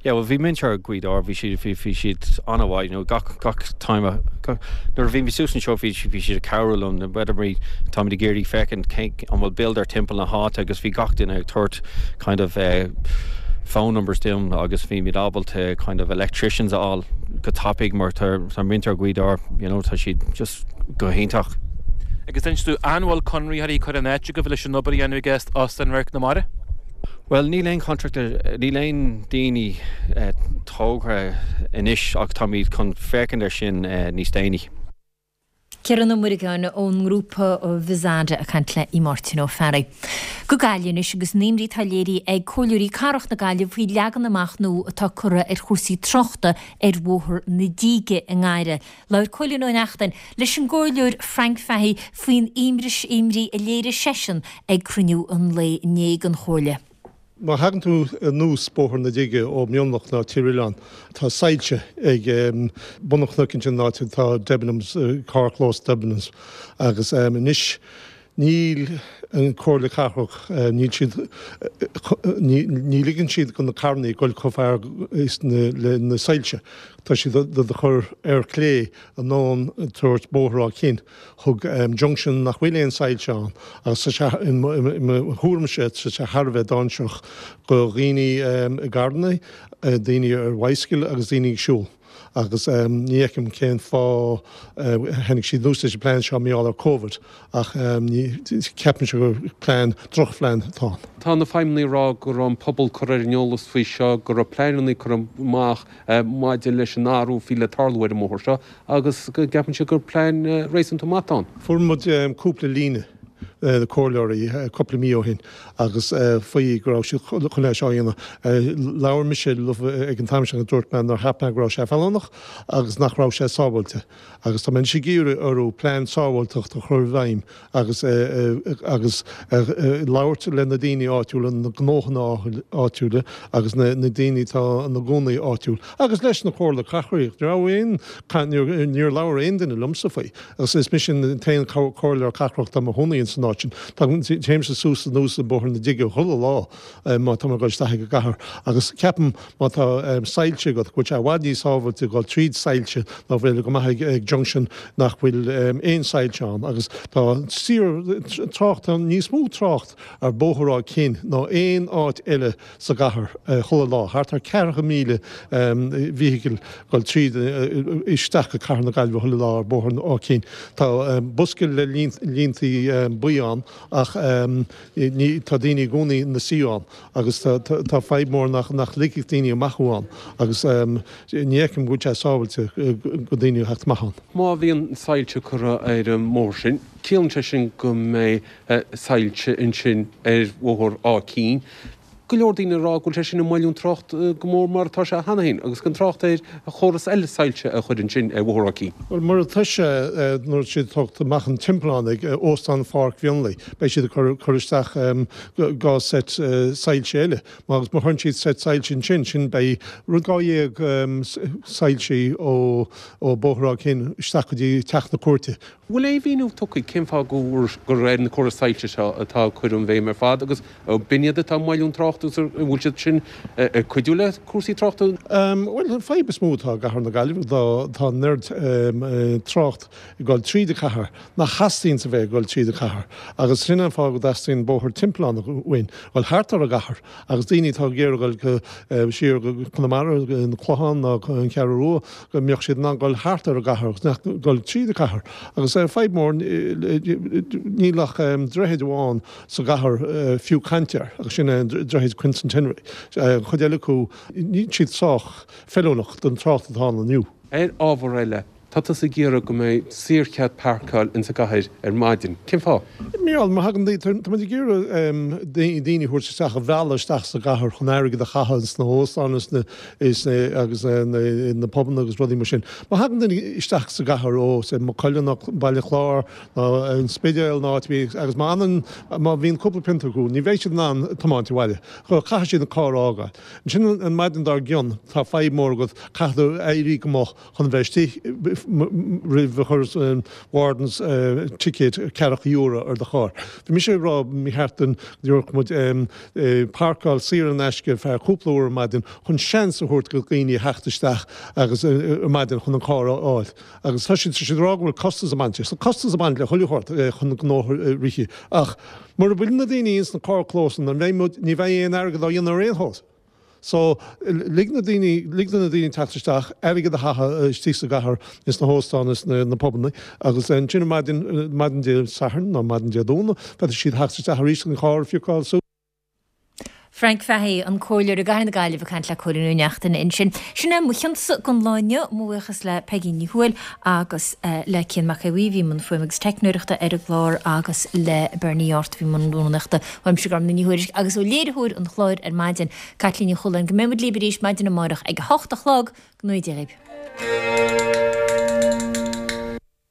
Yeah bhuel bhí muintir Ghaoth Dobhair, bhí siad, bhí, bhí siad an-mhaith, you know, gach, gach time a, gach, nuair a bhí mé suas anseo bhí, bhí siad ag cabhrú liom, whether we, táimid ag iarraidh féachaint cén, an bhfuil builder timpeall na háite agus bhí gach duine ag tabhairt kind of eh phone numbers dom agus bhí muid ábalta kind of electricians a fháil go tapaidh mar tá tá muintir Ghaoth Dobhair you know tá siad just go hiontach. Agus inis dúinn, an bhfuil conraitheoirí curtha in áit agaibh leis an obair a dhéanamh ag Óstán Radharc na Mara? Bhuel níl aon contractor, níl aon daoine tógtha anois ach táimid chun féachaint ar sin níos déanaí. Ciarán Ó Muireagáin ón ngrúpa Vizada ag caint le Máirtín Ó Fearraigh. Go Gaillimh anois agus an imní atá léirithe ag Comhairleoirí Cathrach na Gaillimhe faoi leagan amach nua atá curtha ar chúrsaí tráchta ar Bhóthar na Díge i nGaillimh. Labhair Cóilín Ó Neachtain leis an gComhairleoir Frank Fahey faoin imní a léirigh seisean ag cruinniú an lae inné den Chomhairle. Má thagann tú anuas Bóthar na Díge ó Mhionlach nó Tír Oileáin, tá soilse ag bun an chnoic ansin, an áit atá Debenhams, carrchlós Debenhams, agus anois níl an Comhairle Cathrach, níl siad, ní ligeann siad do na carrannaí dul chomh far is le na soilse. Tá siad do chur ar clé anonn towards Bóthar Áth Cinn. Chuig junction nach bhfuil aon soilse ann agus tá sé, i mo thuairimse, tá sé thar a bheith dainséarach do dhaoine i gcarranna, daoine ar bhicycle agus daoine ag siúl. Agus ní fheicim cén fáth tháinig siad anuas leis an bplean seo mar gheall ar Covid ach ceapaimse gur plean, drochphlean atá ann. Tá na feidhmeannaigh ag rá go raibh an pobal curtha ar an eolas faoi seo, go raibh pleananna curtha amach maidir leis an athrú a bhí le tarlú ar an mbóthar seo agus go gceapann siad gur plean réasúnta maith atá ann. Fuair muid cúpla líne, na comhairleoirí, cúpla mí ó shin agus faoi go raibh siad chun é seo a dhéanamh. Labhair mise leo ag an t-am sin agus dúirt mé nár cheap mé go raibh sé feiliúnach agus nach raibh sé sábháilte. Agus tá mé anois ag iarraidh orthu plean sábháilteachta a chur i bhfeidhm agus agus labhairt le na daoine áitiúla, na gnóthanna áitiúla agus na daoine atá ina gcónaí áitiúil agus leis na Comhairle Cathrach. Ní raibh aon, níor labhair aon duine liomsa faoi agus is mise an t-aon comhairleoir cathrach atá i mo chónaí ins an áit. an áit sin. Téimse suas anuas an Bóthar na Dige chuile lá má tá mé ag dul isteach ag an gcathair agus ceapaim má tá soilse agat go bhfuil sé i bhfad níos sábháilte dul tríd soilse ná bheith ag amach ag junction nach bhfuil aon soilse ann agus tá síor trácht, tá níos mó trácht ar Bhóthar Áth Cinn ná aon áit eile sa gcathair chuile lá, thart ar 40,000 vehicle dul tríd isteach go cathair na Gaillimhe chuile lá ar Bhóthar Áth Cinn. Tá bosca le líntaí buí ann ach tá daoine i gcónaí ina suí ann agus tá fadhb mór nach ligfeadh daoine amach ann agus ní fheicim go bhfuil sé sábhailte go daoine a theacht amach ann. Má bhíonn soilse curtha ar an mbóthar sin, ciallaíonn sé sin go mbeidh soilse ansin ar Bhóthar Áth Cinn. Go leor daoine ag rá go bhfuil sé sin ag moilliú an trácht go mór mar atá sé cheana féin agus gan trácht ar chóras eile soilse a chur ansin ar Bhóthar Áth Cinn. Bhuel, mar atá sé nuair atá siad ag tógaint amach an timpeallán ag Óstán Pháirc Mhionlaigh, beidh siad ag cur isteach 2 seit soilse eile. Agus má chuireann siad seit soilse ansin, sin beidh rud 12 soilsí ó Bhóthar Áth Cinn isteach go dtí Teach na Cúirte. Bhfuil aon mhíniú tugtha cén fáth gur ar na córais soilse seo atá cuireadh an bhéim ar fad agus b'in iad atá ag moilliú an trácht agus an bhfuil siad sin ag cuidiú le cúrsaí tráchta? Bhuel, an fadhb is mó atá i gcathair na Gaillimhe ná tá an oiread trácht ag dul tríd an chathair nach theastaíonns a bheith ag dul tríd an chathair agus sin an fáth go dteastaíonn bóthar timpeallán uainn, dul thart ar an gcathair agus daoine atá ag iarraidh dul siar go Conamara, an Clochán nó an Cheathrú Rua. go mbeadh siad in ann dul thart ar an gcathair agus nach dul tríd an chathair. Agus fadhb mór, níl ach droichead amháin sa gcathair fiú caint air agus sin é an droichead Quincentenary. An chuid eile acu, níl siad sách feiliúnach don trácht atá ann inniu. Ar ábhar eile, tá tusa ag iarraidh go mbeidh saorchead páirceáil insa gcathair ar maidin. Cén fáth? Mar má thagann daoine, tá muid ag iarraidh daoine a thabhairt isteach, a mhealladh isteach sa gcathair chun airgead a chaitheamh sna hóstáin is is agus na pubanna agus rudaí mar sin. Má thagann duine isteach sa gcathair ó, say, Maigh Cuilinn nó Baile Chláir nó an Spidéal nó áit ar bith agus má fhanann, má bhíonn cúpla pionta acu, ní bheidh siad in ann tiomáint abhaile. Caithfidh siad an carr a fhágáil. Ansin an maidin dár gcionn, tá fadhb mór agat, caithfidh tú éirí go moch chun bheith istigh roimh a chuir an wardens ticéad ceathracha euro ar do charr. Bhí mise ag rá mba cheart go dtabharfadh muid páirceáil saor in aisce ar feadh cúpla uair ar maidin chun seans a thabhairt do dhaoine a theacht isteach agus ar maidin chun an carr a fháil. Agus tá siad ag rá go bhfuil costas ag baint leis. Tá costas ag baint le chuile shórt chun gnó a rith ach mura bhfuil na daoine ins na carrchlósanna ní bheidh aon airgead á dhéanamh ar aon nós. So, lig na daoine, lig do na daoine teacht isteach, airgead a chaitheamh istigh sa gcathair, ins na hóstáin is na pubanna, agus ansin ar maidin, maidin Dé Sathairn nó maidin Dé Domhnaigh, féadfaidh siad theacht isteach arís chun an carr a phiocáil suas. Frank Fahey, an Comhairleoir i gCathair na Gaillimhe ag caint le Cóilín Ó Neachtain ansin. Sin é mo chionsa don lá inniu. Mo bhuíochas le Peigí Ní Thuathail agus le Cian Mac Aodha Bhuí a bhí i mbun fuaime agus teicneoireachta ar an gclár agus le Bernie Art a bhí i mbun rúnaíochta. Uaimse Gormfhlaith Ní Thuairisg agus ó léiritheoir an chláir ar maidin, Caitlín Ní Chualáin, go mbeidh muid libh arís maidin amárach ag a hocht a chlog. Go ngnóthaí Dia dhaoibh.